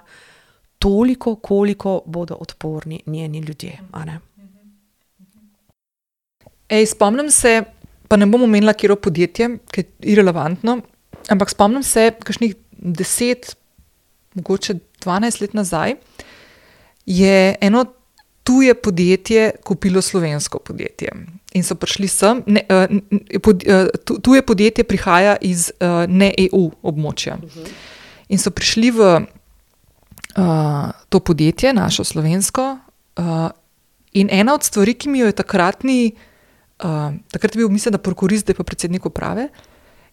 Speaker 2: toliko, koliko bodo odporni njeni ljudje, a ne?
Speaker 1: Ej, spomnim se, pa ne bom omenila, katero podjetje, ki je irelevantno, ampak spomnim se, kakšnih deset, mogoče dvanajst let nazaj, je eno tuje podjetje kupilo slovensko podjetje. In so prišli sem, ne, pod, tuje podjetje prihaja iz ne E U območja. In so prišli v uh, to podjetje, našo slovensko, uh, in ena od stvari, ki mi jo je takratni uh, takrat je bil, mislim, da prokurist, zdaj pa predsednik uprave,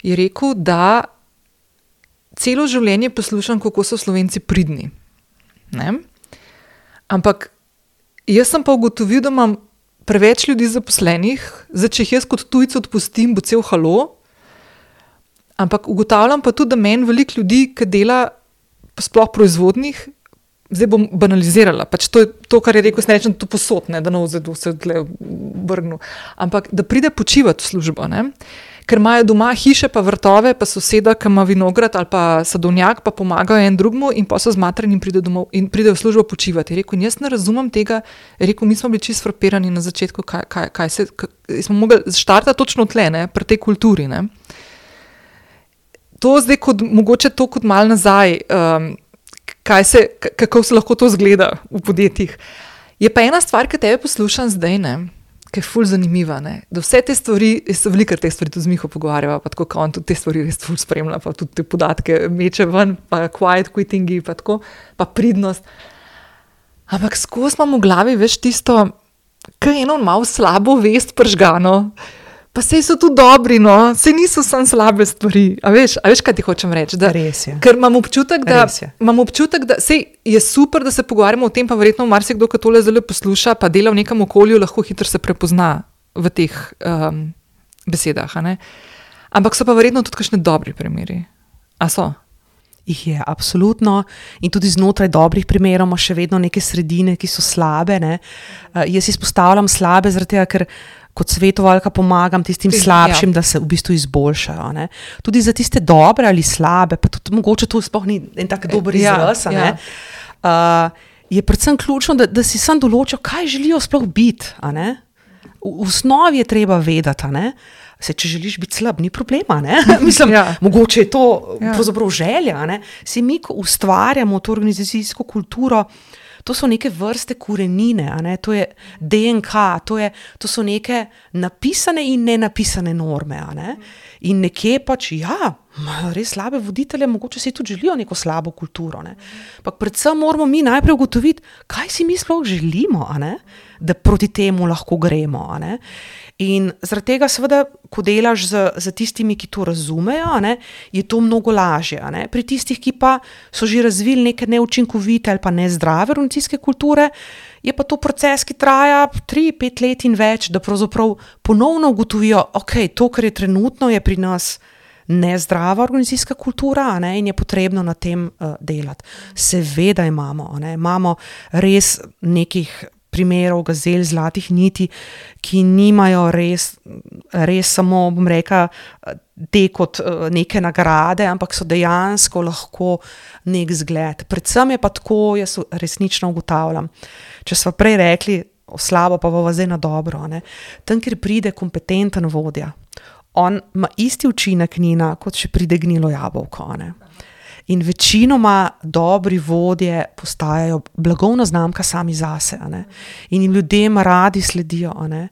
Speaker 1: je rekel, da celo življenje poslušam, kako so Slovenci pridni. Ne? Ampak jaz sem pa ugotovil, da imam preveč ljudi zaposlenih, zdaj, če jih jaz kot tujci odpustim, bo cel halo, ampak ugotavljam pa tudi, da meni veliko ljudi, ki dela sploh proizvodnih, zdaj bom banalizirala, pač to je to, kar je rekel, s nečem to posod, ne, da ne vzadu se tle vrgnu, ampak da pride počivati v službo, ne, ker imajo doma hiše pa vrtove, pa soseda, ki ima vinograd ali pa sadovnjak, pa pomagajo en drugmu in pa so zmatrani in pride domov in pride v službo počivati. Je rekel, in jaz ne razumem tega, je rekel, mi smo bili čisto frapirani na začetku, kaj, kaj, kaj se, kaj, smo mogli štartati točno tle, ne, pri tej kulturi, ne. To zdaj kot, mogoče to kot malo nazaj, um, kaj se, kako se lahko to zgleda v podjetjih. Je pa ena stvar, ki tebe poslušam zdaj, ne, ki je ful zanimiva, ne, da vse te stvari, jaz se veliko te stvari tudi z Miho pogovarjava, pa tako, kao on tudi te stvari res ful spremlja, pa tudi te podatke meče ven, pa quiet quittingi, pa tako, pa pridnost. Ampak skozi imam v glavi, veš, tisto, kaj je eno malo slabo vest pržgano, pa sej so tudi dobri, no, sej niso samo slabe stvari. A veš, a veš, kaj ti hočem reči? Da,
Speaker 2: Res je.
Speaker 1: Ker imam občutek, da, imam občutek, da sej je super, da se pogovarjamo o tem, pa verjetno marsikdo, ki tole zelo posluša, pa dela v nekem okolju, lahko hitro se prepozna v teh um, besedah, a ne? Ampak so pa verjetno tudi kakšni dobri primeri. A so?
Speaker 2: Jih je, absolutno. In tudi znotraj dobrih primerov ima še vedno neke sredine, ki so slabe, ne. Uh, jaz izpostavljam slabe, zaradi tega, ker kot svetovalka pomagam tistim slabšim, ja. Da se v bistvu izboljšajo. Ne. Tudi za tiste dobre ali slabe, pa tudi mogoče to sploh ni en tak dober izraz, ja, ja. uh, je predvsem ključno, da, da si sam določijo, kaj želijo sploh biti. A ne. V, v osnovi je treba vedeti, a ne. Se, če želiš biti slab, ni problema, ne? Mislim, ja. Mogoče je to ja. Pravzaprav želja, ne? Se mi, ko ustvarjamo to organizacijsko kulturo, to so neke vrste korenine, a ne? To je D N K, to, je, to so neke napisane in nenapisane norme, a ne? In nekje pač, ja, res slabe voditelje, mogoče si tudi želijo neko slabo kulturo, ne? Pak predvsem moramo mi najprej ugotoviti, kaj si mi sploh želimo, a ne? Da proti temu lahko gremo, a ne? In zaradi tega seveda, ko delaš z, z tistimi, ki to razumejo, a ne, je to mnogo lažje. A ne. Pri tistih, ki pa so že razvili neke neučinkovite ali pa nezdrave organizacijske kulture, je pa to proces, ki traja tri, pet let in več, da pravzaprav ponovno ugotovijo, ok, to, kar je trenutno, je pri nas nezdrava organizacijska kultura, a ne, in je potrebno na tem uh, delati. Seveda imamo, a ne, imamo res nekih primerov gazel, zlatih niti, ki nimajo res, res samo, bom rekla, te kot neke nagrade, ampak so dejansko lahko nek zgled. Predvsem je pa tako, jaz resnično ugotavljam, če smo prej rekli, o slabo pa bova zdaj na dobro, ne? Tam, kjer pride kompetenten vodja, on ima isti učinek nina, kot če pride gnilo jabolko, ne? In večinoma dobri vodje postajajo blagovna znamka sami zase, a ne? In jim ljudem radi sledijo, a ne?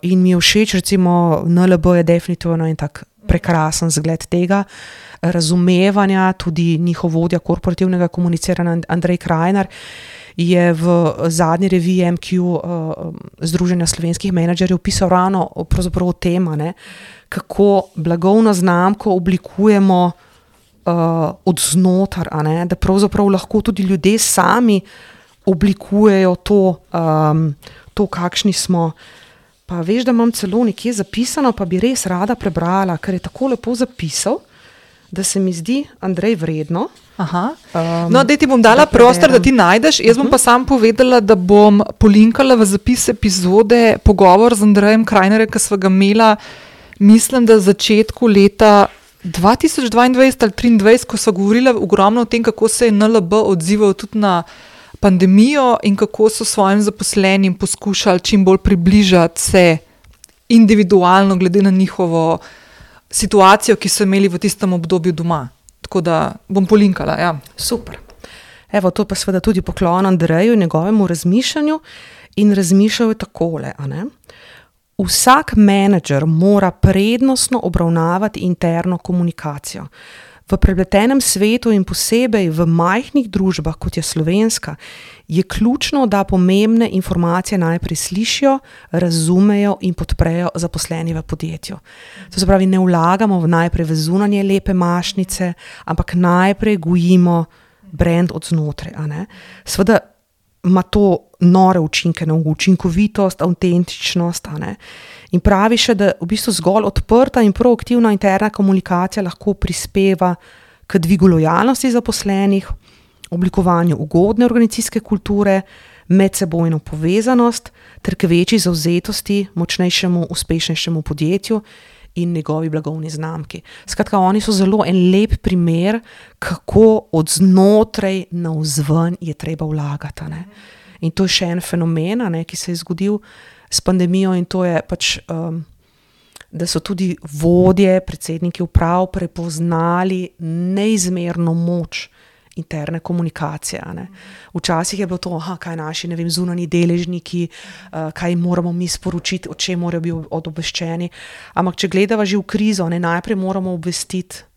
Speaker 2: In mi je všeč, recimo N L B je definitivno en tak prekrasen zgled tega razumevanja, tudi njihov vodja korporativnega komuniciranja Andrej Krajnar je v zadnji reviji M Q uh, Združenja slovenskih menedžerjev pisal ravno pravzaprav o tem, a ne? Kako blagovno znamko oblikujemo Uh, od znotar, a ne, da pravzaprav lahko tudi ljudje sami oblikujejo to, um, to, kakšni smo. Pa veš, da imam celo nekje zapisano, pa bi res rada prebrala, ker je tako lepo zapisal, da se mi zdi, Andrej, vredno.
Speaker 1: Aha. Um, no, da ti bom dala da prostor, da ti najdeš. Jaz bom uh-huh. pa sam povedala, da bom polinkala v zapis epizode pogovor z Andrejem Krajnerjem, ki sva ga imela, mislim, da v začetku leta dva tisoč dvaindvajset ali triindvajset, ko so govorili ogromno o tem, kako se je N L B odzival tudi na pandemijo in kako so svojim zaposlenim poskušali čim bolj približati se individualno glede na njihovo situacijo, ki so imeli v tistem obdobju doma. Tako da bom polinkala, ja.
Speaker 2: Super. Evo, to pa seveda tudi poklon Andreju in njegovemu razmišljanju in razmišljal je takole, a ne? Vsak menedžer mora prednostno obravnavati interno komunikacijo. V prepletenem svetu in posebej v majhnih družbah, kot je slovenska, je ključno, da pomembne informacije najprej slišijo, razumejo in podprejo zaposleni v podjetju. To se pravi, ne vlagamo v najprej v zunanje lepe mašnice, ampak najprej gojimo brand od znotraj. A ne? Seveda ima to nore učinke na učinkovitost, avtentičnost. A ne? In pravi še, da v bistvu zgolj odprta in proaktivna interna komunikacija lahko prispeva k dvigu lojalnosti zaposlenih, oblikovanju ugodne organizacijske kulture, medsebojno povezanost ter k večji zavzetosti, močnejšemu, uspešnejšemu podjetju in njegovi blagovni znamki. Skratka, oni so zelo en lep primer, kako od znotraj navzven je treba vlagati. Ne? In to je še en fenomen, ne, ki se je zgodil s pandemijo, in to je pač, um, da so tudi vodje, predsedniki uprav prepoznali neizmerno moč interne komunikacije. Ne. Včasih je bilo to, aha, kaj naši, ne vem, zunanji deležniki, uh, kaj moramo mi sporočiti, o čem morajo biti obveščeni. Ampak če gledava že v krizo, ne, najprej moramo obvestiti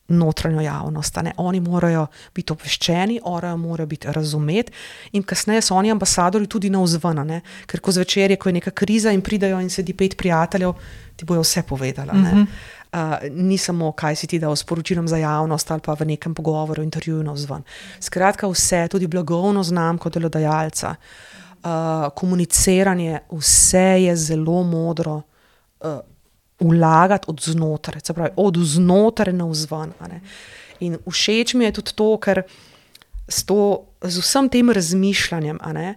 Speaker 2: notranjo javnost. Ne. Oni morajo biti obveščeni, oni morajo biti razumeti in kasneje so oni ambasadori tudi navzven, ne. Ker ko zvečer je, ko je neka kriza in pridajo in sedi pet prijateljev, ti bojo vse povedala. Ne. Uh, ni samo, kaj si ti dal sporočilom za javnost ali pa v nekem pogovoru, intervjuju navzven. Skratka, vse, tudi blagovno znamko delodajalca, uh, komuniciranje, vse je zelo modro uh, vlagati od znotraj, se pravi, od znotraj navzven. In všeč mi je tudi to, ker s, to, z vsem tem razmišljanjem, a ne,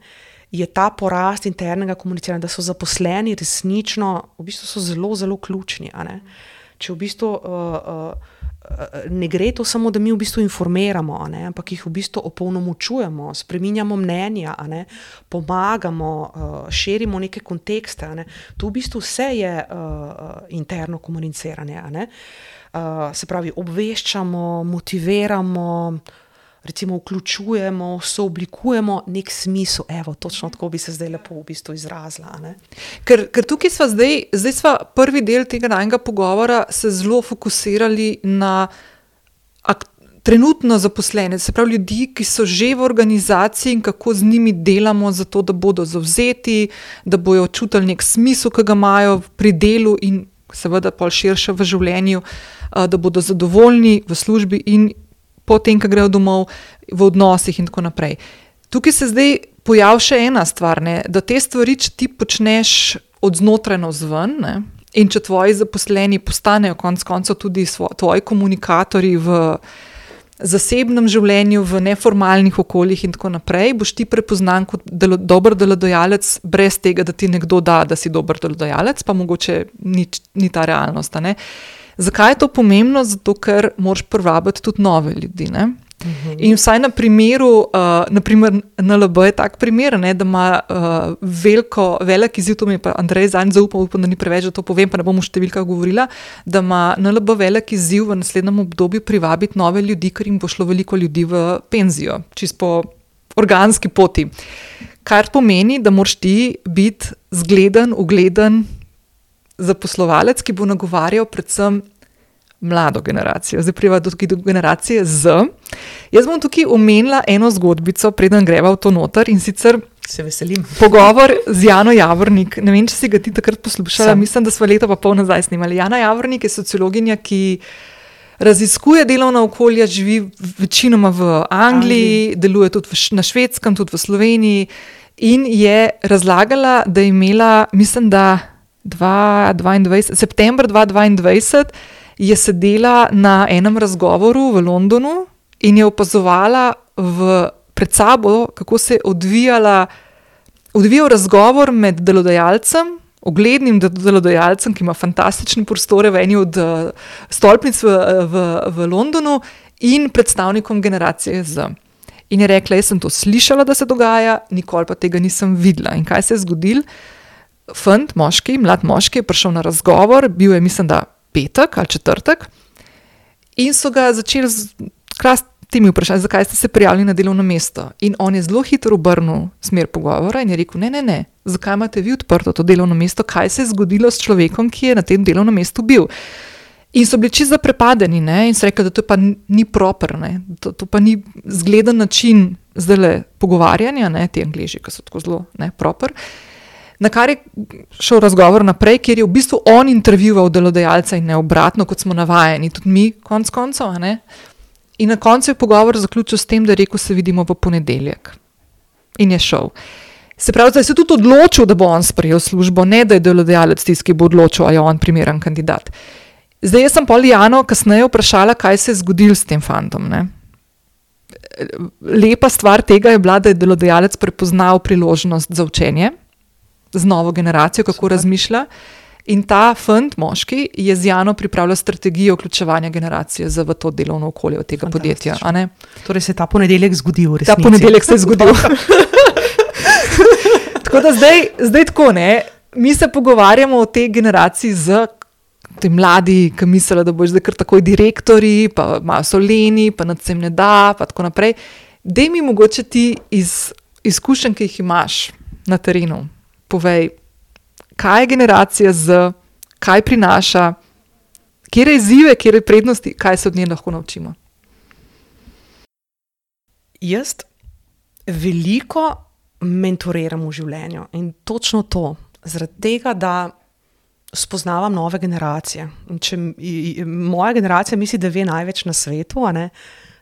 Speaker 2: je ta porast internega komuniciranja, da so zaposleni resnično, v bistvu so zelo, zelo ključni, a ne. Če v bistvu uh, uh, ne gre to samo, da mi v bistvu informiramo, a ne, ampak jih v bistvu opolnomočujemo, spreminjamo mnenja, a ne, pomagamo, uh, širimo neke kontekste. A ne. To v bistvu vse je uh, interno komuniciranje. A ne. Uh, se pravi, obveščamo, motiviramo, recimo vključujemo, sooblikujemo nek smisel. Evo, točno tako bi se zdaj lepo v bistvu izrazila. Ne?
Speaker 1: Ker, ker tukaj sva zdaj, zdaj sva prvi del tega najnega pogovora se zelo fokusirali na ak, trenutno zaposlene, se pravi ljudi, ki so že v organizaciji in kako z njimi delamo za to, da bodo zavzeti, da bojo čutili nek smisel, ki ga imajo pri delu in seveda pol širše v življenju, da bodo zadovoljni v službi in potem, ko grejo domov, v odnosih in tako naprej. Tukaj se zdaj pojavi še ena stvar, ne, da te stvari, če ti počneš od znotraj navzven, ne, in če tvoji zaposleni postanejo konec koncev tudi svo, tvoji komunikatorji v zasebnem življenju, v neformalnih okoljih in tako naprej, boš ti prepoznan kot delo, dober delodajalec brez tega, da ti nekdo da, da si dober delodajalec, pa mogoče ni, ni ta realnost, ne. Zakaj je to pomembno? Zato, ker moraš privabiti tudi nove ljudi, ne? Uh-huh. In vsaj na primeru, uh, na primer N L B je tak primer, ne, da ima uh, veliko, velik izziv, to mi je pa Andrej zanj zaupal, upam, da ni preveč, da to povem, pa ne bom v številkah govorila, da ima N L B velik izziv v naslednjem obdobju privabiti nove ljudi, ker jim bo šlo veliko ljudi v penzijo, čisto po organski poti. Kar pomeni, da moraš ti biti zgleden, ugleden zaposlovalec, ki bo nagovarjal predvsem mlado generacijo. Zdaj priva do, do generacije Z. Jaz bom tukaj omenila eno zgodbico, preden greva v to noter, in sicer
Speaker 2: se veselim.
Speaker 1: Pogovor z Jano Javornik. Ne vem, če si ga ti takrat poslušala,
Speaker 2: Sam.
Speaker 1: Mislim, da sva leta pa pol nazaj snimali. Jana Javornik je sociologinja, ki raziskuje delovna okolja, živi večinoma v Angliji, Angliji. Deluje tudi v, na Švedskem, tudi v Sloveniji in je razlagala, da je imela, mislim, da dvaindvajset, september dva tisoč dvaindvajset je sedela na enem razgovoru v Londonu in je opazovala v, pred sabo, kako se je odvijala, odvijal razgovor med delodajalcem, uglednim delodajalcem, ki ima fantastične prostore v eni od uh, stolpnic v, v, v Londonu in predstavnikom generacije Z. In je rekla, jaz sem to slišala, da se dogaja, nikoli pa tega nisem videla. In kaj se je zgodilo? Fant, moški, mlad moški je prišel na razgovor, bil je, mislim, da petek ali četrtek in so ga začeli z temi vprašanji, zakaj ste se prijavili na delovno mesto. In on je zelo hitro obrnil smer pogovora in je rekel, ne, ne, ne, zakaj imate vi odprto to delovno mesto, kaj se je zgodilo s človekom, ki je na tem delovnem mestu bil. In so bili čisto zaprepadeni, ne? In so rekli, da to pa ni proper, ne? To, to pa ni zgleden način zdajle pogovarjanja, ne? Ti Angleži, ki so tako zelo ne, proper. Na kar je šel razgovor naprej, kjer je v bistvu on intervjuval delodajalca in ne obratno, kot smo navajeni, tudi mi, konc koncev. A ne? In na koncu je pogovor zaključil s tem, da je rekel, se vidimo v ponedeljek. In je šel. Se pravi, da je se tudi odločil, da bo on sprejel službo, ne da je delodajalec tisti, ki bo odločil, a je on primeren kandidat. Zdaj, jaz sem Poljano kasneje vprašala, kaj se je zgodilo s tem fantom. Ne? Lepa stvar tega je bila, da je delodajalec prepoznal priložnost za učenje z novo generacijo, kako Super. Razmišlja. In ta fant, moški, je z Jano pripravljal strategijo vključevanja generacije v to delovno okolje od tega podjetja. A ne?
Speaker 2: Torej se je ta ponedeljek zgodil v resnici.
Speaker 1: Ta ponedeljek se je zgodil. Tako da zdaj, zdaj tako, ne, mi se pogovarjamo o tej generaciji z te mladi, ki mislijo, da boš zdaj kar takoj direktori, pa malo so leni, pa nad sem ne da, pa tako naprej. Dej mi mogoče ti iz izkušenj, ki jih imaš na terenu, povej, kaj je generacija z, kaj prinaša, kjer je izzive, kjer je prednosti, kaj se od nje lahko naučimo.
Speaker 2: Jaz veliko mentoriram v življenju in točno to, zaradi tega, da spoznavam nove generacije. In če moja generacija misli, da ve največ na svetu, a ne,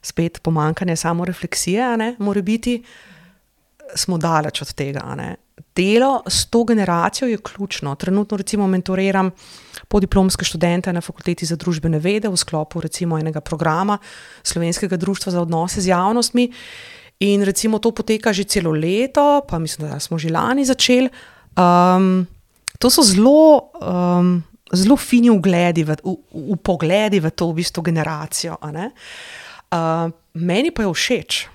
Speaker 2: spet pomanjkanje samorefleksije, a ne, mora biti, smo daleč od tega, a ne. Delo s to generacijo je ključno. Trenutno recimo mentoriram podiplomske študente na Fakulteti za družbene vede v sklopu recimo enega programa Slovenskega društva za odnose z javnostmi. In recimo to poteka že celo leto, pa mislim, da smo že lani začeli. Um, to so zelo, um, zelo fini ugledi, v, v, v pogledi v to v bistvu generacijo. A ne? Uh, meni pa je všeč.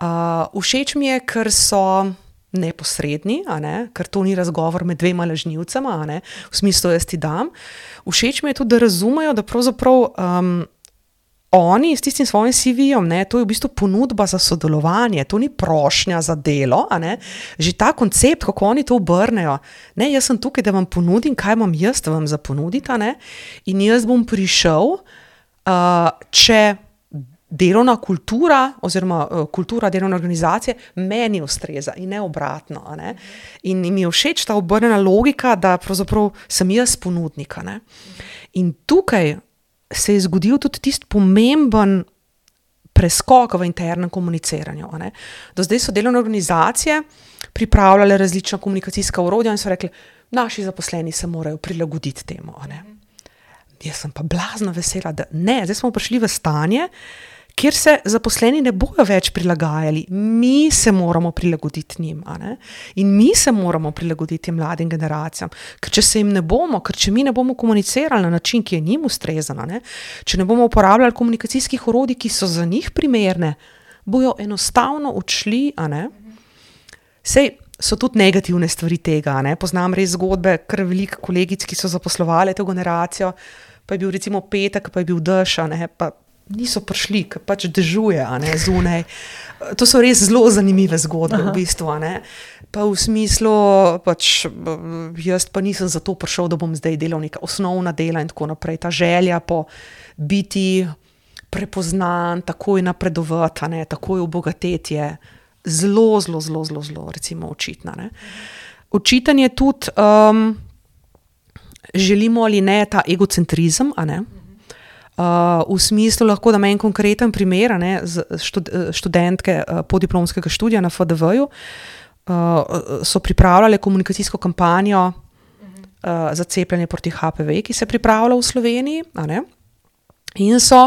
Speaker 2: Uh, všeč mi je, ker so neposredni, a ne? Ker to ni razgovor med dvema lažnivcema, a ne? V smislu jaz ti dam. Všeč mi je tudi, da razumejo, da pravzaprav um, oni s tistim svojim C V-jem, ne, to je v bistvu ponudba za sodelovanje, to ni prošnja za delo, a ne, že ta koncept, kako oni to obrnejo, ne, jaz sem tukaj, da vam ponudim, kaj imam jaz vam za ponuditi, a ne, in jaz bom prišel, uh, če delovna kultura oziroma uh, kultura delovne organizacije meni ustreza in ne obratno, a ne, in mi je všeč ta obrnjena logika, da pravzaprav sem jaz ponudnik, a ne, in tukaj se je zgodil tudi tisti pomemben preskok v internem komuniciranju. A ne? Do zdaj so delovne organizacije pripravljale različna komunikacijska orodja in so rekli, naši zaposleni se morajo prilagoditi temu. A ne? Jaz sem pa blazno vesela, da ne, zdaj smo prišli v stanje, kjer se zaposleni ne bojo več prilagajali. Mi se moramo prilagoditi njim. A ne? In mi se moramo prilagoditi mladim generacijam. Ker če se jim ne bomo, ker če mi ne bomo komunicirali na način, ki je njim ustrezan, a ne? Če ne bomo uporabljali komunikacijskih orodij, ki so za njih primerne, bojo enostavno odšli. A ne? Sej so tudi negativne stvari tega. A ne? Poznam res zgodbe, kar veliko kolegic, ki so zaposlovali to generacijo, pa je bil recimo petek, pa je bil dež, a ne? Pa niso prišli, ker pač dežuje, a ne, zunaj. To so res zelo zanimive zgodbe. Aha. V bistvu, a ne. Pa v smislu, pač jaz pa nisem zato prišel, da bom zdaj delal neka osnovna dela in tako naprej. Ta želja po biti prepoznan, takoj napredovati, a ne, takoj obogateti je zelo, zelo, zelo, zelo, zelo, recimo očitna, ne. Očiten je tudi, um, želimo ali ne, ta egocentrizem, a ne. Uh, v smislu lahko, da me en konkreten primer, ne, z štud, študentke uh, podiplomskega študija na F D V-ju uh, so pripravljale komunikacijsko kampanjo uh, za cepljenje proti H P V, ki se pripravlja v Sloveniji, a ne, in so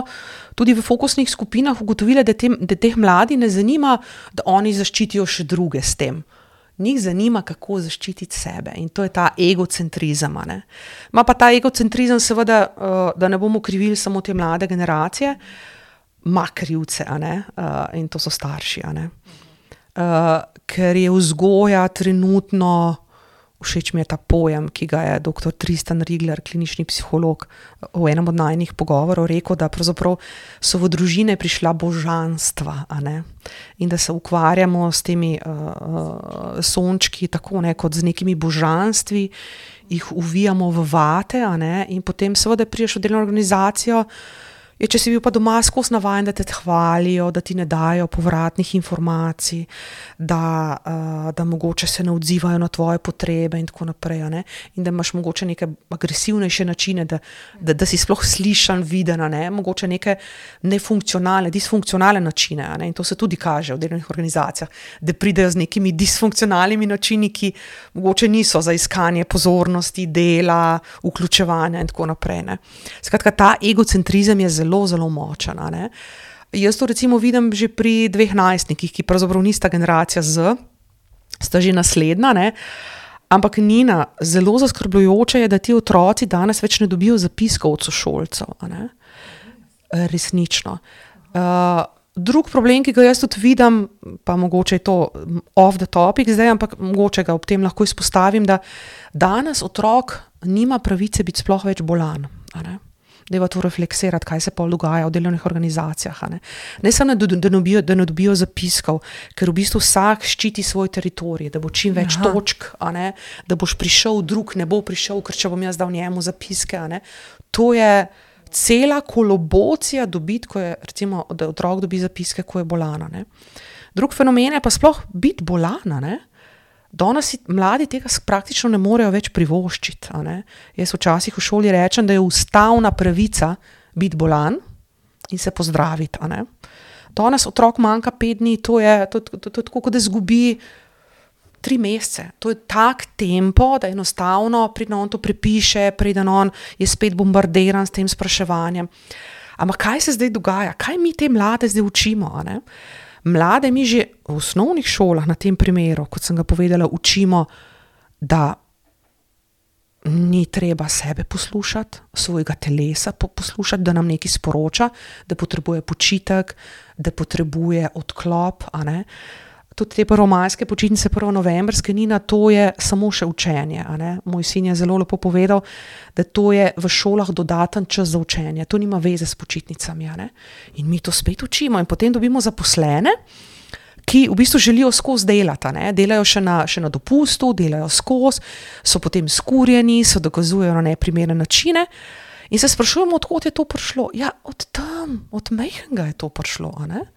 Speaker 2: tudi v fokusnih skupinah ugotovile, da, te, da teh mladi ne zanima, da oni zaščitijo še druge s tem. Njih zanima, kako zaščititi sebe in to je ta egocentrizem. Ne? Ma pa ta egocentrizem seveda, uh, da ne bomo krivili samo te mlade generacije, ma krivce, a ne? Uh, in to so starši. A ne? Uh, ker je vzgoja trenutno, všeč mi je ta pojem, ki ga je doktor Tristan Rigler, klinični psiholog, v enem od najnih pogovorov rekel, da pravzaprav so v družine prišla božanstva, a ne? In da se ukvarjamo s temi uh, sončki tako ne, kot z nekimi božanstvi jih uvijamo v vate, a ne, in potem seveda priješ v delovno organizacijo. Je, če si bil pa doma skozi navajen, da te hvalijo, da ti ne dajo povratnih informacij, da, uh, da mogoče se ne odzivajo na tvoje potrebe in tako naprej, ne? In da imaš mogoče neke agresivnejše načine, da, da, da si sploh slišan, viden, ne? Mogoče neke nefunkcionalne, disfunkcionalne načine, ne? In to se tudi kaže v delovnih organizacijah, da pridejo z nekimi disfunkcionalnimi načini, ki mogoče niso za iskanje pozornosti, dela, vključevanja in tako naprej, ne? Skratka, ta egocentrizem je zelo zelo, zelo močen. Ne? Jaz to recimo vidim že pri dveh najstnikih, ki pravzaprav nista generacija Z, sta že naslednja, ne? Ampak Nina, zelo zaskrbljujoče je, da ti otroci danes več ne dobijo zapiskov od sošolcev. Ne? Resnično. Uh, drug problem, ki ga jaz tudi vidim, pa mogoče je to off the topic zdaj, ampak mogoče ga ob tem lahko izpostavim, da danes otrok nima pravice biti sploh več bolan. Ne? Deva to refleksirati, kaj se pa dogaja v delovnih organizacijah. Ne, ne samo, da, da, dobijo, da ne dobijo zapiskov, ker v bistvu vsak ščiti svoj teritorij, da bo čim več Aha. točk, a ne, da boš prišel, drug ne bo prišel, ker če bom jaz dal njemu zapiske. A ne. To je cela kolobocija dobiti, ko je, recimo, da otrok dobi zapiske, ko je bolana. Ne. Drug fenomen je pa sploh biti bolana, ne. Danes mladi tega praktično ne morejo več privoščiti. A ne? Jaz včasih v šoli rečem, da je ustavna pravica biti bolan in se pozdraviti. A ne? Danes otrok manjka pet dni, to je, to, to, to, to, tako, kot da zgubi tri mesece. To je tak tempo, da enostavno preden on to prepiše, preden on je spet bombardiran s tem spraševanjem. Ampak kaj se zdaj dogaja? Kaj mi te mlade zdaj učimo? A ne? Mlade mi že v osnovnih šolah na tem primeru, kot sem ga povedala, učimo, da ni treba sebe poslušati, svojega telesa poslušati, da nam nekaj sporoča, da potrebuje počitek, da potrebuje odklop. A ne? Tudi te prvomajske počitnice, prvo novembrske, Nina, to je samo še učenje. A ne? Moj sin je zelo lepo povedal, da to je v šolah dodaten čas za učenje. To nima veze s počitnicami. A ne? In mi to spet učimo. In potem dobimo zaposlene, ki v bistvu želijo skozi delati. A ne? Delajo še na, še na dopustu, delajo skozi, so potem skurjeni, so dokazujejo na neprimerne načine. In se sprašujemo, odkot je to prišlo. Ja, od tam, od majhnega je to prišlo. A ne?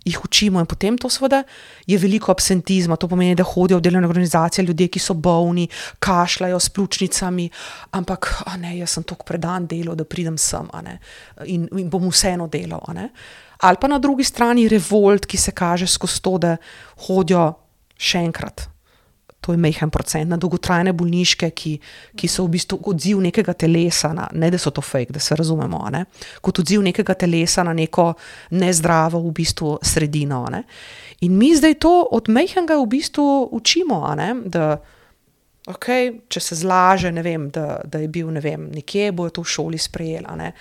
Speaker 2: Jih učimo in potem to seveda je veliko absentizma, to pomeni, da hodijo v delovne organizacije ljudje, ki so bolni, kašljajo s pljučnicami, ampak a ne, jaz sem toliko predan delal, da pridem sem, a ne, in, in bom vseeno delal, a ne. Ali pa na drugi strani revolt, ki se kaže skozi to, da hodijo še enkrat. To je majhen procent na dolgotrajne bolniške, ki, ki so v bistvu odziv nekega telesa, na, ne da so to fake, da se razumemo, a ne, kot odziv nekega telesa na neko nezdravo v bistvu sredino. A ne. In mi zdaj to od majhnega v bistvu učimo, a ne, da okay, če se zlaže, ne vem, da, da je bil ne vem, nekje, bojo to v šoli sprejeli. A ne.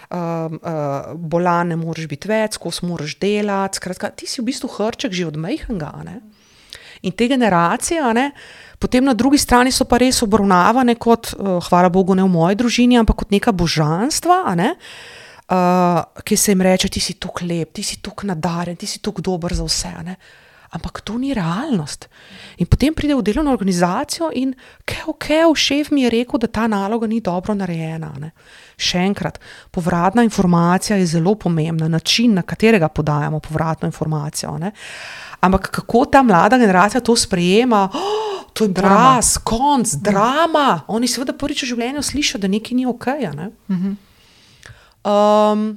Speaker 2: Uh, uh, bolan ne moraš biti več, skozi moraš delati, skratka, ti si v bistvu hrček že od majhnega, a ne. In te generacije, a ne, potem na drugi strani so pa res obravnavane kot, uh, hvala Bogu ne v moji družini, ampak kot neka božanstva, a ne, uh, ki se jim reče, ti si tok lep, ti si tok nadaren, ti si tok dober za vse, a ne. Ampak to ni realnost. In potem pride v delovno organizacijo in kev, kev, šef mi je rekel, da ta naloga ni dobro narejena. Ne. Še enkrat, povratna informacija je zelo pomembna, način, na katerega podajamo povratno informacijo. Ne. Ampak kako ta mlada generacija to sprejema, oh, to je poraz, konc, drama. Oni seveda prvič v življenju slišijo, da nekaj ni okej. Ne. Um,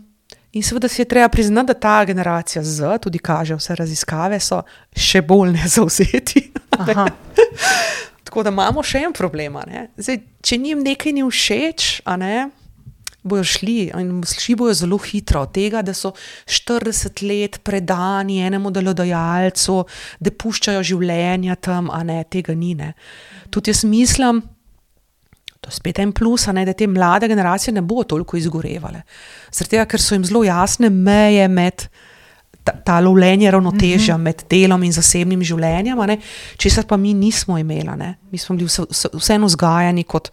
Speaker 2: in seveda si je treba priznati, da ta generacija Z, tudi kaže vse raziskave, so še bolj nezavzeti. Ne. Tako da imamo še en problem. Ne. Zdaj, če njim nekaj ni všeč, a ne, bojo šli in šli bojo zelo hitro od tega, da so štirideset let predani enemu delodajalcu, da puščajo življenja tam, a ne, tega ni, ne. Tudi jaz mislim, to je spet en plus, a ne, da te mlade generacije ne bo toliko izgorevale. Zaradi tega, ker so jim zelo jasne meje med ta, ta lovljenje ravnotežja mm-hmm. med delom in zasebnim življenjem, a ne, česar pa mi nismo imeli, ne. Mi smo bili vse, vse, vseeno vzgajani kot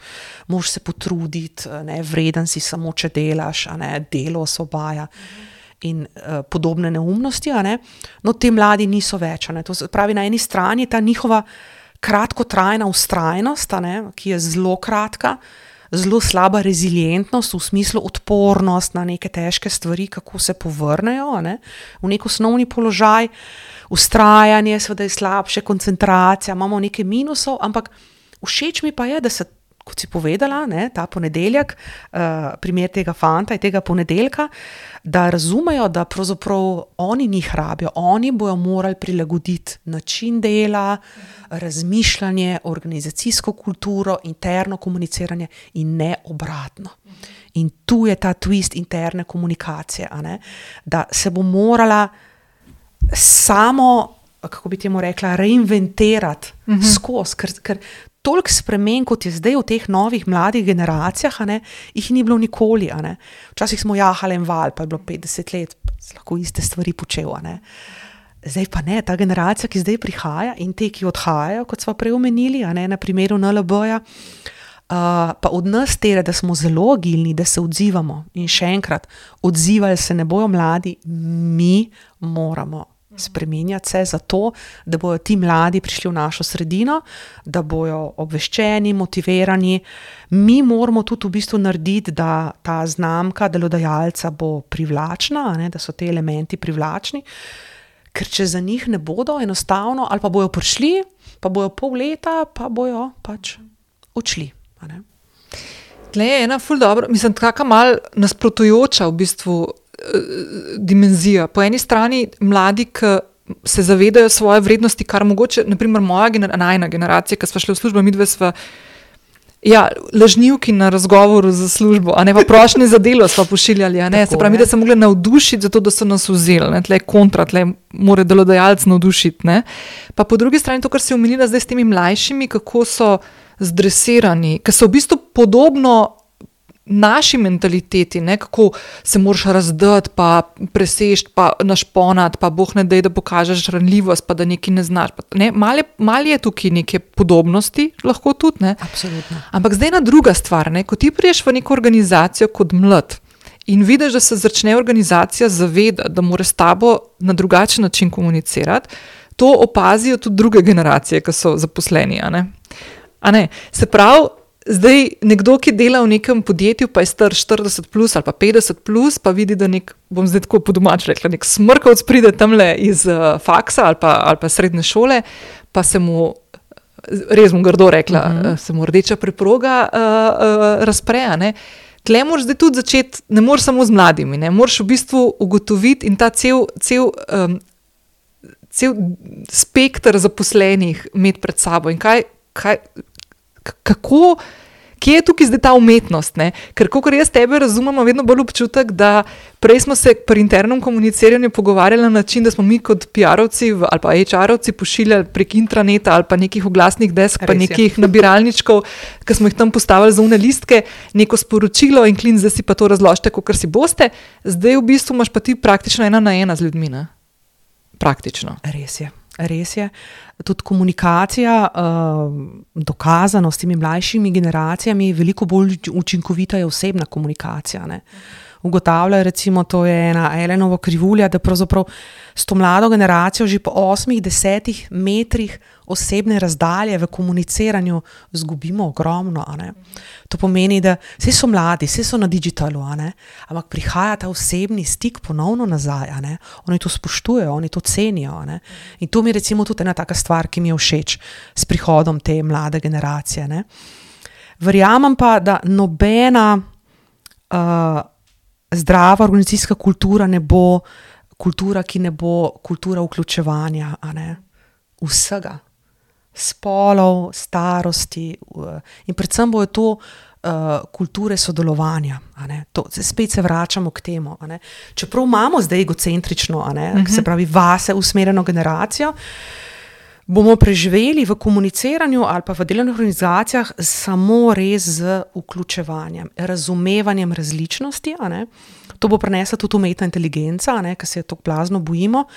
Speaker 2: moraš se potruditi, ne, vreden si samo, če delaš, a ne, delo osvobaja in uh, podobne neumnosti, a ne. No, te mladi niso več, a ne. To pravi, na eni strani ta njihova kratkotrajna vztrajnost, a ne, ki je zelo kratka, zelo slaba rezilientnost, v smislu odpornost na neke težke stvari, kako se povrnejo, a ne, v nek osnovni položaj, vztrajanje, seveda je slabše, koncentracija, imamo nekaj minusov, ampak všeč mi pa je, da se, kot si povedala, ne, ta ponedeljek, uh, primer tega fanta in tega ponedeljka, da razumejo, da pravzaprav oni njih rabijo, oni bojo morali prilagoditi način dela, razmišljanje, organizacijsko kulturo, interno komuniciranje in ne obratno. In tu je ta twist interne komunikacije, a ne, da se bo morala samo, kako bi temu rekla, reinventirati uh-huh. skozi, ker, ker toliko spremen, kot je zdaj v teh novih mladih generacijah, a ne, jih ni bilo nikoli, a ne. Včasih smo jahali en val, pa je bilo petdeset let, lahko iste stvari počel, a ne. Zdaj pa ne, ta generacija, ki zdaj prihaja in te, ki odhajajo, kot smo prej omenili, a ne, na primeru N L B-ja, uh, pa od nas tere, da smo zelo agilni, da se odzivamo in še enkrat, odzivali se ne bojo mladi, mi moramo spreminjati se zato, da bojo ti mladi prišli v našo sredino, da bojo obveščeni, motivirani. Mi moramo tudi v bistvu narediti, da ta znamka delodajalca bo privlačna, a ne, da so te elementi privlačni, ker če za njih ne bodo enostavno, ali pa bojo prišli, pa bojo pol leta, pa bojo pač odšli, a ne.
Speaker 1: Tle je ena ful dobro, mislim, taka mal nasprotujoča v bistvu dimenzija. Po eni strani mladi, ki se zavedajo svoje vrednosti, kar mogoče, naprimer moja gener- najna generacija, ki sva šli v službo, midve sva ja, lažnivki na razgovoru za službo, a ne pa prošnje za delo sva pošiljali, a ne, tako, se pravi, mi, da se mogli navdušiti zato, da so nas vzeli, ne, tle je kontra, tle mora delodajalec navdušiti, ne. Pa po drugi strani to, kar si omenila zdaj s temi mlajšimi, kako so zdresirani, ki so v bistvu podobno naši mentaliteti, ne, kako se moraš razdati, pa presešti, pa našponati, pa boh ne dej, da pokažeš ranljivost, pa da nekaj ne znaš. Pa, ne, malo, malo je tukaj neke podobnosti, lahko tudi, ne.
Speaker 2: Absolutno.
Speaker 1: Ampak zdaj ena druga stvar, ne, ko ti priješ v neko organizacijo kot mlad in vidiš, da se začne organizacija zavedati, da mora s tabo na drugačen način komunicirati, to opazijo tudi druge generacije, ki so zaposleni, a ne. A ne, se pravi, zdaj nekdo, ki dela v nekem podjetju, pa je star štirideset plus ali pa petdeset plus, pa vidi, da nek, bom zdaj tako po domač rekla, nek smrkavc pride tamle iz uh, faksa ali pa, ali pa srednje šole, pa se mu, res mu grdo rekla, uh-huh. se mu rdeča preproga uh, uh, razpre, ne. Tle moraš zdaj tudi začeti, ne moraš samo z mladimi, ne, moraš v bistvu ugotoviti in ta cel, cel, um, cel spektr zaposlenih imeti pred sabo in kaj, kaj kako, kje je tukaj zdaj ta umetnost, ne? Ker kakor jaz tebe razumem, vedno bolj občutek, da prej smo se pri internem komuniciranju pogovarjali na način, da smo mi kot P R-ovci ali pa H R-ovci pošiljali prek intraneta ali pa nekih oglasnih desk, pa nekih nabiralničkov, ki smo jih tam postavili za une listke, neko sporočilo in klin, zdaj si pa to razložite, kakor si boste. Zdaj v bistvu imaš pa ti praktično ena na ena z ljudmi, ne? Praktično.
Speaker 2: Res je. Res je. Tudi komunikacija, uh, dokazano s temi mlajšimi generacijami, veliko bolj učinkovita je osebna komunikacija, ne. Ugotavljajo, recimo, to je ena Allenova krivulja, da pravzaprav s to mlado generacijo že po osmih, desetih metrih osebne razdalje v komuniciranju zgubimo ogromno, a ne. To pomeni, da vsi so mladi, vsi so na digitalu, a ne, ampak prihaja ta osebni stik ponovno nazaj, a ne. Oni to spoštujejo, oni to cenijo, a ne. In to mi je recimo tudi ena taka stvar, ki mi je všeč s prihodom te mlade generacije, ne. Verjamem pa, da nobena uh, zdrava organizacijska kultura ne bo kultura, ki ne bo kultura vključevanja, a ne, vsega. Spolov, starosti in predvsem bojo to uh, kulture sodelovanja, a ne. To, spet se vračamo k temu, a ne. Čeprav imamo zdaj egocentrično, a ne, uh-huh. se pravi vase usmerjeno generacijo, bomo preživeli v komuniciranju ali pa v delovnih organizacijah samo res z vključevanjem, razumevanjem različnosti, a ne. To bo prinesla tudi umetna inteligenca, a ne, ker se je tako blazno bojimo.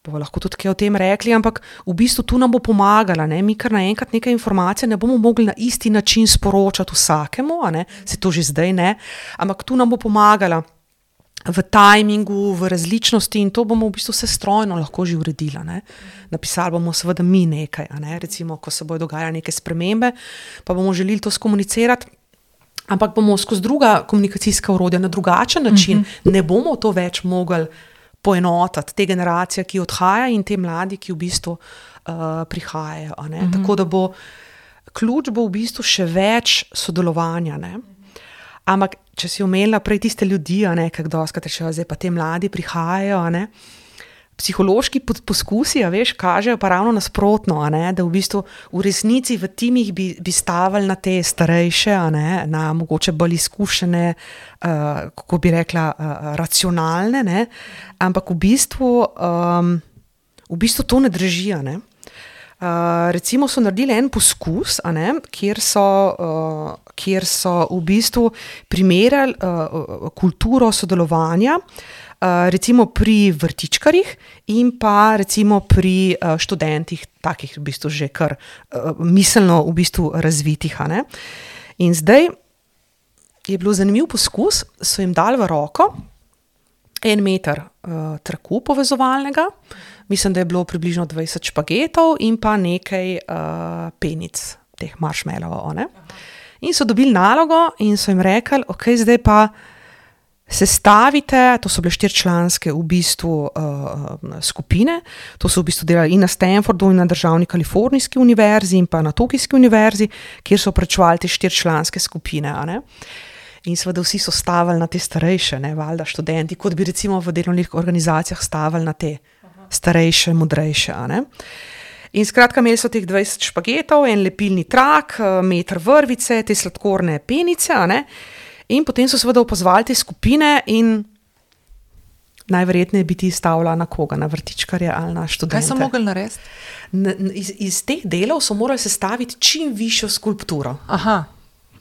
Speaker 2: Bomo lahko tudi kaj o tem rekli, ampak v bistvu tu nam bo pomagala, ne, mi kar naenkrat neke informacije ne bomo mogli na isti način sporočati vsakemu, a ne, se to že zdaj ne, ampak tu nam bo pomagala v tajmingu, v različnosti in to bomo v bistvu vse strojno lahko že uredili. Ne? Napisali bomo seveda mi nekaj, a ne? Recimo, ko se bodo dogajale neke spremembe, pa bomo želeli to skomunicirati, ampak bomo skozi druga komunikacijska orodja na drugačen način, uh-huh. ne bomo to več mogli poenotiti, te generacije, ki odhaja in te mladi, ki v bistvu uh, prihajajo. A ne? Uh-huh. Tako da bo ključ bo v bistvu še več sodelovanja, ne? Ampak, če si omenila prej tiste ljudi, a ne, kako doskrat rečejo, zdaj pa te mladi prihajajo, a ne, psihološki poskusi, a veš, kažejo pa ravno nasprotno, a ne, da v bistvu v resnici v timih bi, bi stavili na te starejše, a ne, na mogoče bolj izkušene, uh, kako bi rekla, uh, racionalne, ne, ampak v bistvu, um, v bistvu to ne drži, a ne. Uh, recimo so naredili en poskus, a ne, kjer so, uh, kjer so v bistvu primerjali uh, kulturo sodelovanja, uh, recimo pri vrtičkarjih in pa recimo pri uh, študentih, takih v bistvu že kar uh, miselno v bistvu razvitih. A ne. In zdaj je bilo zanimiv poskus, so jim dali v roko en meter uh, traku povezovalnega, mislim, da je bilo približno dvajset špagetov in pa nekaj uh, penic, teh marshmallowov. In so dobili nalogo in so jim rekli, ok, zdaj pa sestavite, to so bile štiričlanske v bistvu uh, skupine, to so v bistvu delali in na Stanfordu in na državni kalifornijski univerzi in pa na Tokijski univerzi, kjer so prečuvali te štiričlanske skupine, a ne. In seveda vsi so stavili na te starejše, ne, valjda študenti, kot bi recimo v delovnih organizacijah stavili na te starejše, modrejše. A ne. In skratka, imeli so teh dvajset špagetov, en lepilni trak, meter vrvice, te sladkorne penice, a ne. In potem so seveda opazovali te skupine in najverjetneje bi ti stavila na koga, na vrtičkarje ali na študente.
Speaker 1: Kaj so mogli narediti?
Speaker 2: Iz, iz teh delov so morali sestaviti čim višjo skulpturo.
Speaker 1: Aha,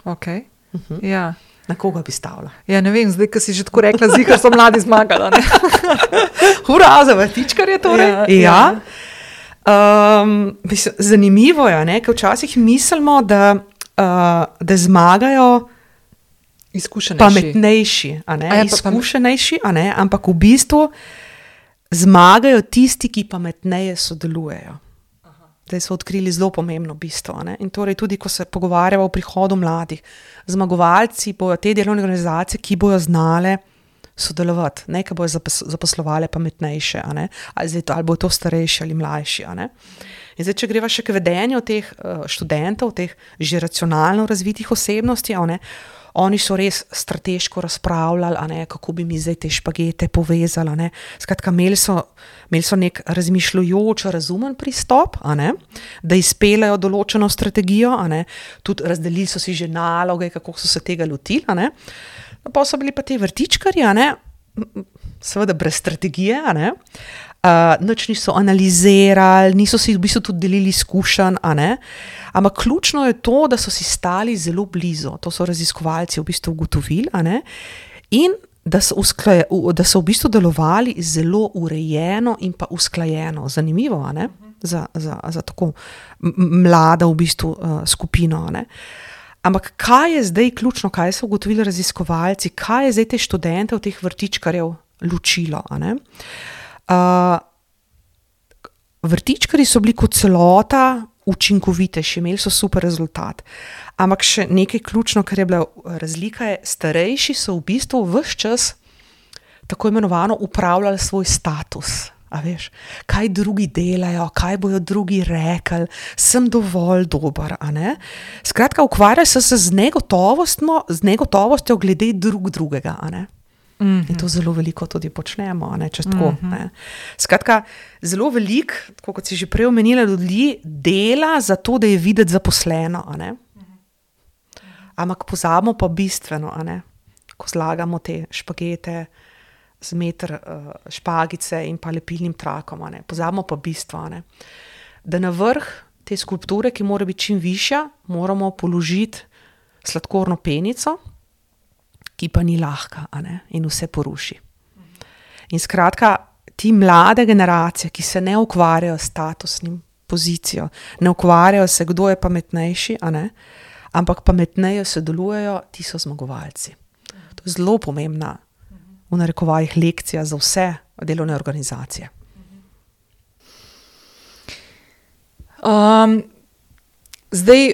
Speaker 1: ok. Uh-huh. Ja.
Speaker 2: Na koga bi stavila?
Speaker 1: Ja, ne vem, zdaj, ko si že tako rekla, zikar so mladi zmagali.
Speaker 2: Hura, za vrtičkarje torej. Ja. ja. Um, mislim, zanimivo je, ne, ker včasih mislimo, da, uh, da zmagajo pametnejši, a ne, a ja, izkušenejši, a ne, ampak v bistvu zmagajo tisti, ki pametneje sodelujejo. Zdaj so odkrili zelo pomembno bistvo. Ne? In torej tudi, ko se pogovarjamo o prihodu mladih, zmagovalci bojo te delovne organizacije, ki bojo znale sodelovati, ne, ki bojo zaposlovale pametnejše, a ne? Ali, zdaj to, ali bojo to starejši ali mlajši. A ne? In zdaj, če greva še k vedenju teh študentov, teh že racionalno razvitih osebnosti, a ne? Oni so res strateško razpravljali, a ne, kako bi mi zdaj te špagete povezali. A ne. Skratka, imeli so, imeli so nek razmišljujoč, razumen pristop, a ne, da izpeljajo določeno strategijo, a ne. Tudi razdelili so si že naloge, kako so se tega lotili. A ne. Pa so bili pa ti vrtičkarji, a ne, seveda brez strategije, a ne. Uh, nič niso analizirali, niso si v bistvu tudi delili izkušenj, a ne. Ampak ključno je to, da so si stali zelo blizu, to so raziskovalci v bistvu ugotovili, a ne, in da so, usklaje, da so v bistvu delovali zelo urejeno in pa usklajeno. Zanimivo, a ne, za, za, za tako mlada v bistvu uh, skupino, a ne. Ampak kaj je zdaj ključno, kaj so ugotovili raziskovalci, kaj je zdaj te študente v teh vrtičkarjev ločilo, a ne. Uh, vrtičkarji so bili kot celota učinkovitejši, imeli so super rezultat. Ampak še nekaj ključno, kar je bila razlika, je, starejši so v bistvu ves čas tako imenovano upravljali svoj status. A veš, kaj drugi delajo, kaj bojo drugi rekli, sem dovolj dober, a ne. Skratka, ukvarjajo se z negotovostjo, z negotovostjo glede drug drugega, a ne. Mm-hmm. In to zelo veliko tudi počnemo, ne, če tako. Mm-hmm. Ne. Skratka, zelo veliko, tako kot si že prej omenila, ljudi dela za to, da je videti zaposleno, a ne. Mm-hmm. Ampak pozabimo pa bistveno, a ne, ko zlagamo te špagete z meter uh, špagice in pa lepilnim trakom, a ne. Pozabimo pa bistvo, a ne, da na vrh te skulpture, ki mora biti čim višja, moramo položiti sladkorno penico, ki pa ni lahka, a ne, in vse poruši. In skratka, ti mlade generacije, ki se ne ukvarjajo s statusnim pozicijo, ne ukvarjajo se, kdo je pametnejši, a ne, ampak pametneje sodelujejo, ti so zmagovalci. To je zelo pomembna v narekovajih lekcija za vse delovne organizacije.
Speaker 1: Um, zdaj,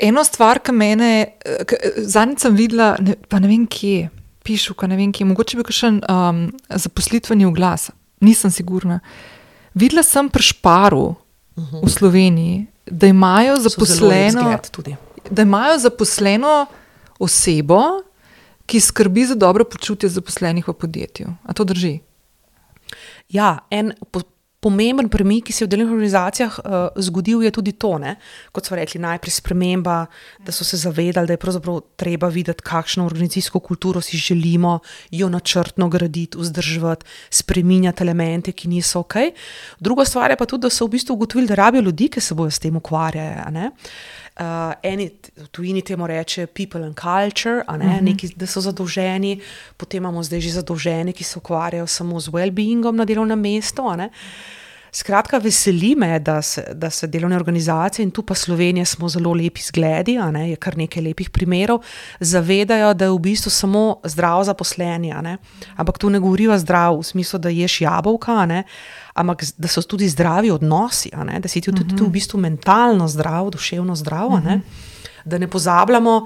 Speaker 1: eno stvar, ki mene, zadnjič sem videla, ne, pa ne vem kje, pišu, ka ne vem kje, mogoče bi kakšen um, zaposlitveni oglas, nisem sigurna. Videla sem pri Šparu uh-huh. v Sloveniji, da imajo zaposleno, da imajo zaposleno osebo, ki skrbi za dobro počutje zaposlenih v podjetju. A to drži?
Speaker 2: Ja, en po- pomemben premik, ki se je v delovnih organizacijah uh, zgodil, je tudi to, ne? Kot so rekli, najprej sprememba, da so se zavedali, da je pravzaprav treba videti, kakšno organizacijsko kulturo si želimo, jo načrtno graditi, vzdrževati, spreminjati elemente, ki niso ok. Druga stvar je pa tudi, da so v bistvu ugotovili, da rabijo ljudi, ki se bojo s tem ukvarjajo, ne? Uh, eni v tujini temu reče people and culture, a ne, uh-huh. neki, da so zadolženi, potem imamo zdaj že zadolženi, ki se ukvarjajo samo z well-beingom na delovnem mestu, a ne. Skratka, veseli me, da se, da se delovne organizacije, in tu pa Slovenija smo zelo lepi zgledi, a ne, je kar nekaj lepih primerov, zavedajo, da je v bistvu samo zdrav zaposleni, a ne, ampak tu ne govoriva zdrav v smislu, da ješ jabolka, a ne, ampak da so tudi zdravi odnosi, a ne, da si tudi uh-huh. tu v bistvu mentalno zdrav, duševno zdrav, a ne, da ne pozabljamo,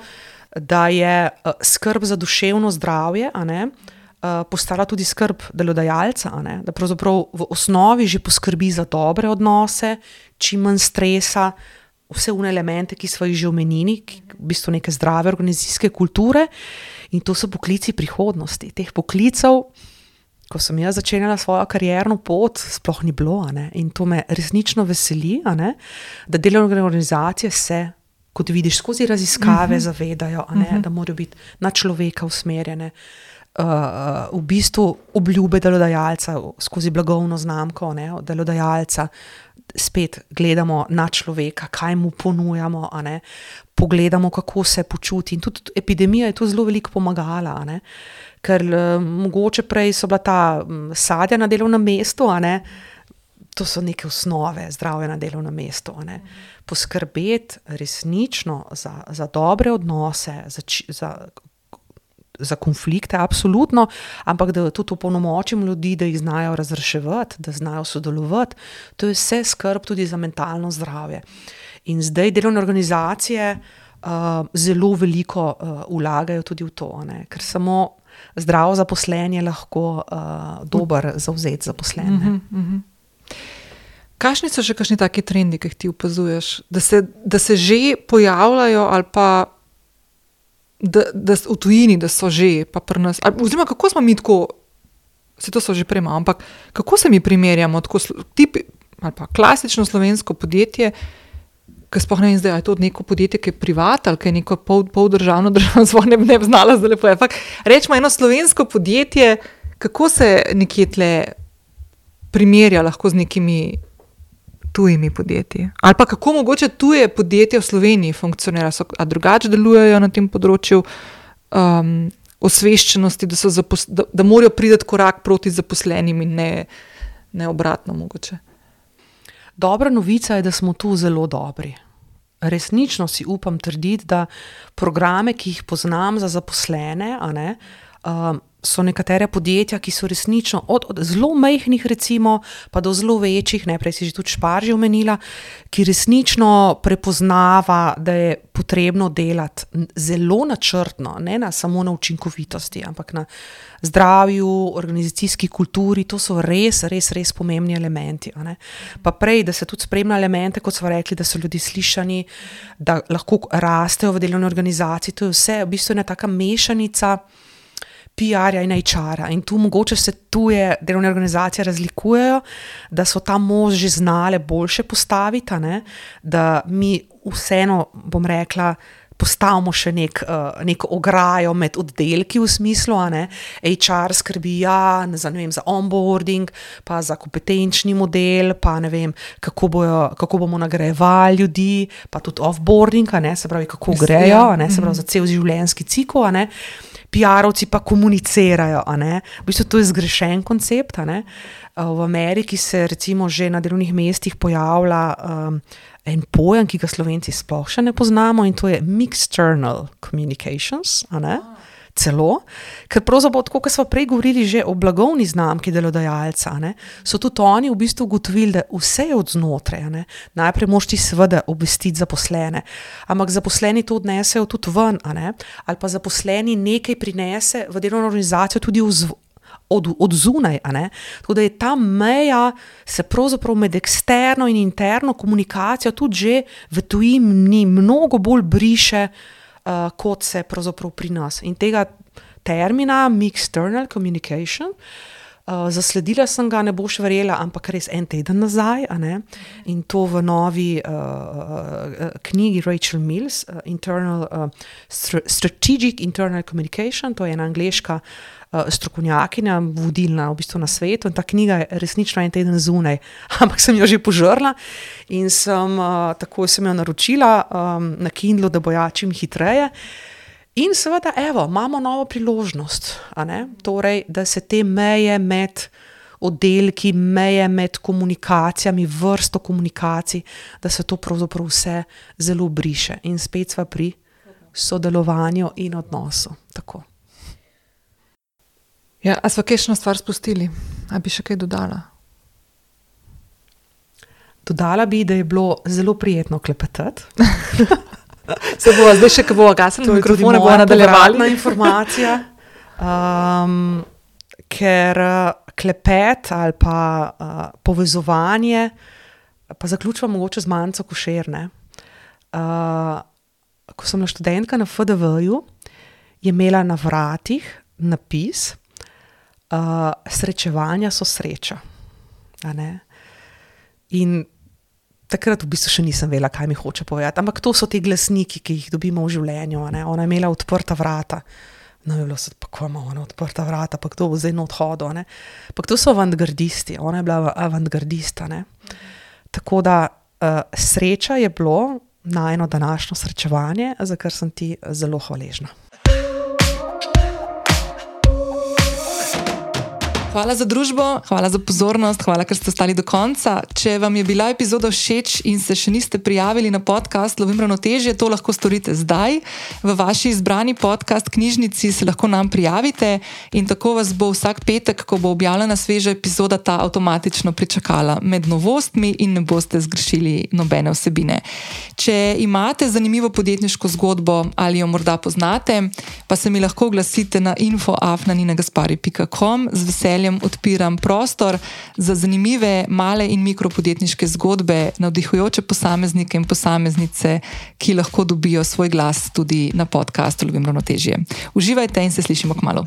Speaker 2: da je uh, skrb za duševno zdravje, a ne, Uh, postala tudi skrb delodajalca, a ne? Da pravzaprav v osnovi že poskrbi za dobre odnose, čim manj stresa, vse une elemente, ki smo jih že omenili, v bistvu neke zdrave organizacijske kulture, in to so poklici prihodnosti. Teh poklicev, ko sem jaz začenjala svojo karierno pot, sploh ni bilo, a ne? In to me resnično veseli, a ne? Da delovne organizacije se, kot vidiš, skozi raziskave uh-huh. zavedajo, a ne? Uh-huh. Da morajo biti na človeka usmerjene. Uh, v bistvu obljube delodajalca skozi blagovno znamko, ne, delodajalca, spet gledamo na človeka, kaj mu ponujamo, a ne, pogledamo, kako se počuti. In tudi epidemija je tu zelo veliko pomagala, a ne, ker uh, mogoče prej so bila ta um, sadja na delovnem mestu, a ne, to so neke osnove zdravja na delovnem mestu, a ne. Poskrbeti resnično za, za dobre odnose, za, za za konflikte, absolutno, ampak da tudi opolnomočim ljudi, da jih znajo razreševati, da znajo sodelovati, to je vse skrb tudi za mentalno zdravje. In zdaj delovne organizacije uh, zelo veliko uh, vlagajo tudi v to, ne? Ker samo zdravo zaposlenje lahko uh, dober zavzet zaposlen.
Speaker 1: Uh-huh, uh-huh. Kakšni so še kakšni taki trendi, ki jih ti opazuješ, da se, da se že pojavljajo ali pa Da, da v tujini, da so že, pa pri nas, oziroma kako smo mi tako, se to so že prej malo, ampak kako se mi primerjamo, tako tip, ali pa klasično slovensko podjetje, ki sploh ne vem zdaj, ali je to neko podjetje, ki je privat, ali ki je neko pol, pol državno, državno zvoj, ne, ne bi znala zdaj lepo, ampak rečemo eno slovensko podjetje, kako se nekje tle primerja lahko z nekimi tujimi podjetji. Ali pa kako mogoče tuje podjetje v Sloveniji funkcionira, so, a drugače delujejo na tem področju um, osveščenosti, da, so zapos, da, da morajo priti korak proti zaposlenim in ne, ne obratno mogoče.
Speaker 2: Dobra novica je, da smo tu zelo dobri. Resnično si upam trditi, da programe, ki jih poznam za zaposlene, a ne, um, so nekatere podjetja, ki so resnično od, od zelo majhnih recimo, pa do zelo večjih, najprej si že tudi Špar že omenila, ki resnično prepoznava, da je potrebno delati zelo načrtno, ne na, samo na učinkovitosti, ampak na zdravju, organizacijski kulturi, to so res, res, res pomembni elementi. A ne? Pa prej, da se tudi spremlja elemente, kot smo rekli, da so ljudi slišani, da lahko rastejo v delovni organizaciji, to je vse, v bistvu ena taka mešanica P R-ja in H R-a. In tu mogoče se tuje delovne organizacije razlikujejo, da so tam mož že znale boljše postaviti, ne? Da mi vseeno, bom rekla, postavimo še nek, uh, neko ograjo med oddelki v smislu, a ne, H R skrbi ja, za, ne vem, za onboarding, pa za kompetenčni model, pa ne vem, kako, bojo, kako bomo nagrajevali ljudi, pa tudi offboarding, a ne, se pravi, kako grejo, a ne, se pravi, za cel življenjski cikel, a ne. P R-ovci pa komunicirajo, a ne. V bistvu to je zgrešen koncept, a ne. V Ameriki se recimo že na delovnih mestih pojavlja um, en pojem, ki ga Slovenci sploh še ne poznamo, in to je mixed-channel communications, a ne. celo, ker pravzaprav, tako kot smo prej govorili že o blagovni znamki delodajalca, ne, so tudi oni v bistvu ugotovili, da vse je od znotraj. Ne. Najprej moraš ti seveda obvestiti zaposlene, ampak zaposleni to odnesejo tudi ven, a ne, ali pa zaposleni nekaj prinese v delovno organizacijo tudi v zv Od, od zunaj, a ne? Tako da je ta meja se pravzaprav med eksterno in interno komunikacijo tudi že v tujini mnogo bolj briše, uh, kot se pravzaprav pri nas. In tega termina mixed-external communication, uh, zasledila sem ga, ne boš verjela, ampak res en teden nazaj, a ne? In to v novi uh, uh, knjigi Rachel Mills, uh, internal, uh, Strategic Internal Communication, to je ena angleška strokovnjakinja, vodilna v bistvu na svetu, in ta knjiga je resnično en teden zunaj, ampak sem jo že požrla in sem, uh, takoj sem jo naročila um, na Kindlu, da bo ja čim hitreje. In seveda, evo, imamo novo priložnost, a ne? Torej, da se te meje med oddelki, meje med komunikacijami, vrsto komunikacij, da se to pravzaprav vse zelo briše. In spet sva pri sodelovanju in odnosu. Tako.
Speaker 1: Ja, a sva kakšno stvar spustili? A bi še kaj dodala?
Speaker 2: Dodala bi, da je bilo zelo prijetno klepetati.
Speaker 1: Se bova zdaj še, ko bova gasili mikrofone, bova nadaljevali.
Speaker 2: To je tudi moja informacija, um, ker klepet ali pa uh, povezovanje, pa zaključujem mogoče z Manco Košer, ne. Uh, ko sem bila študentka na F D V-ju, je imela na vratih napis Uh, srečevanja so sreča. A ne? In takrat v bistvu še nisem vedela, kaj mi hoče povedati, ampak to so ti glasniki, ki jih dobimo v življenju. A ne? Ona je imela odprta vrata. No, je bilo se, pa ko ima ona odprta vrata, pa kdo bo zdaj na odhodu. Pa to so avantgardisti, ona je bila avantgardista. Ne? Tako da uh, sreča je bilo najino današnjo srečevanje, za kar sem ti zelo hvaležna.
Speaker 1: Hvala za družbo, hvala za pozornost, hvala, ker ste ostali do konca. Če vam je bila epizoda všeč in se še niste prijavili na podcast Lovim ravnotežje, to lahko storite zdaj. V vaši izbrani podcast knjižnici se lahko nam prijavite in tako vas bo vsak petek, ko bo objavljena sveža epizoda, ta avtomatično pričakala med novostmi in ne boste zgrešili nobene vsebine. Če imate zanimivo podjetniško zgodbo ali jo morda poznate, pa se mi lahko oglasite na info afna nina gaspari pika com. Z veseljem odpiram prostor za zanimive male in mikropodjetniške zgodbe, navdihujoče posameznike in posameznice, ki lahko dobijo svoj glas tudi na podcastu Lovim ravnotežje. Uživajte in se slišimo kmalu.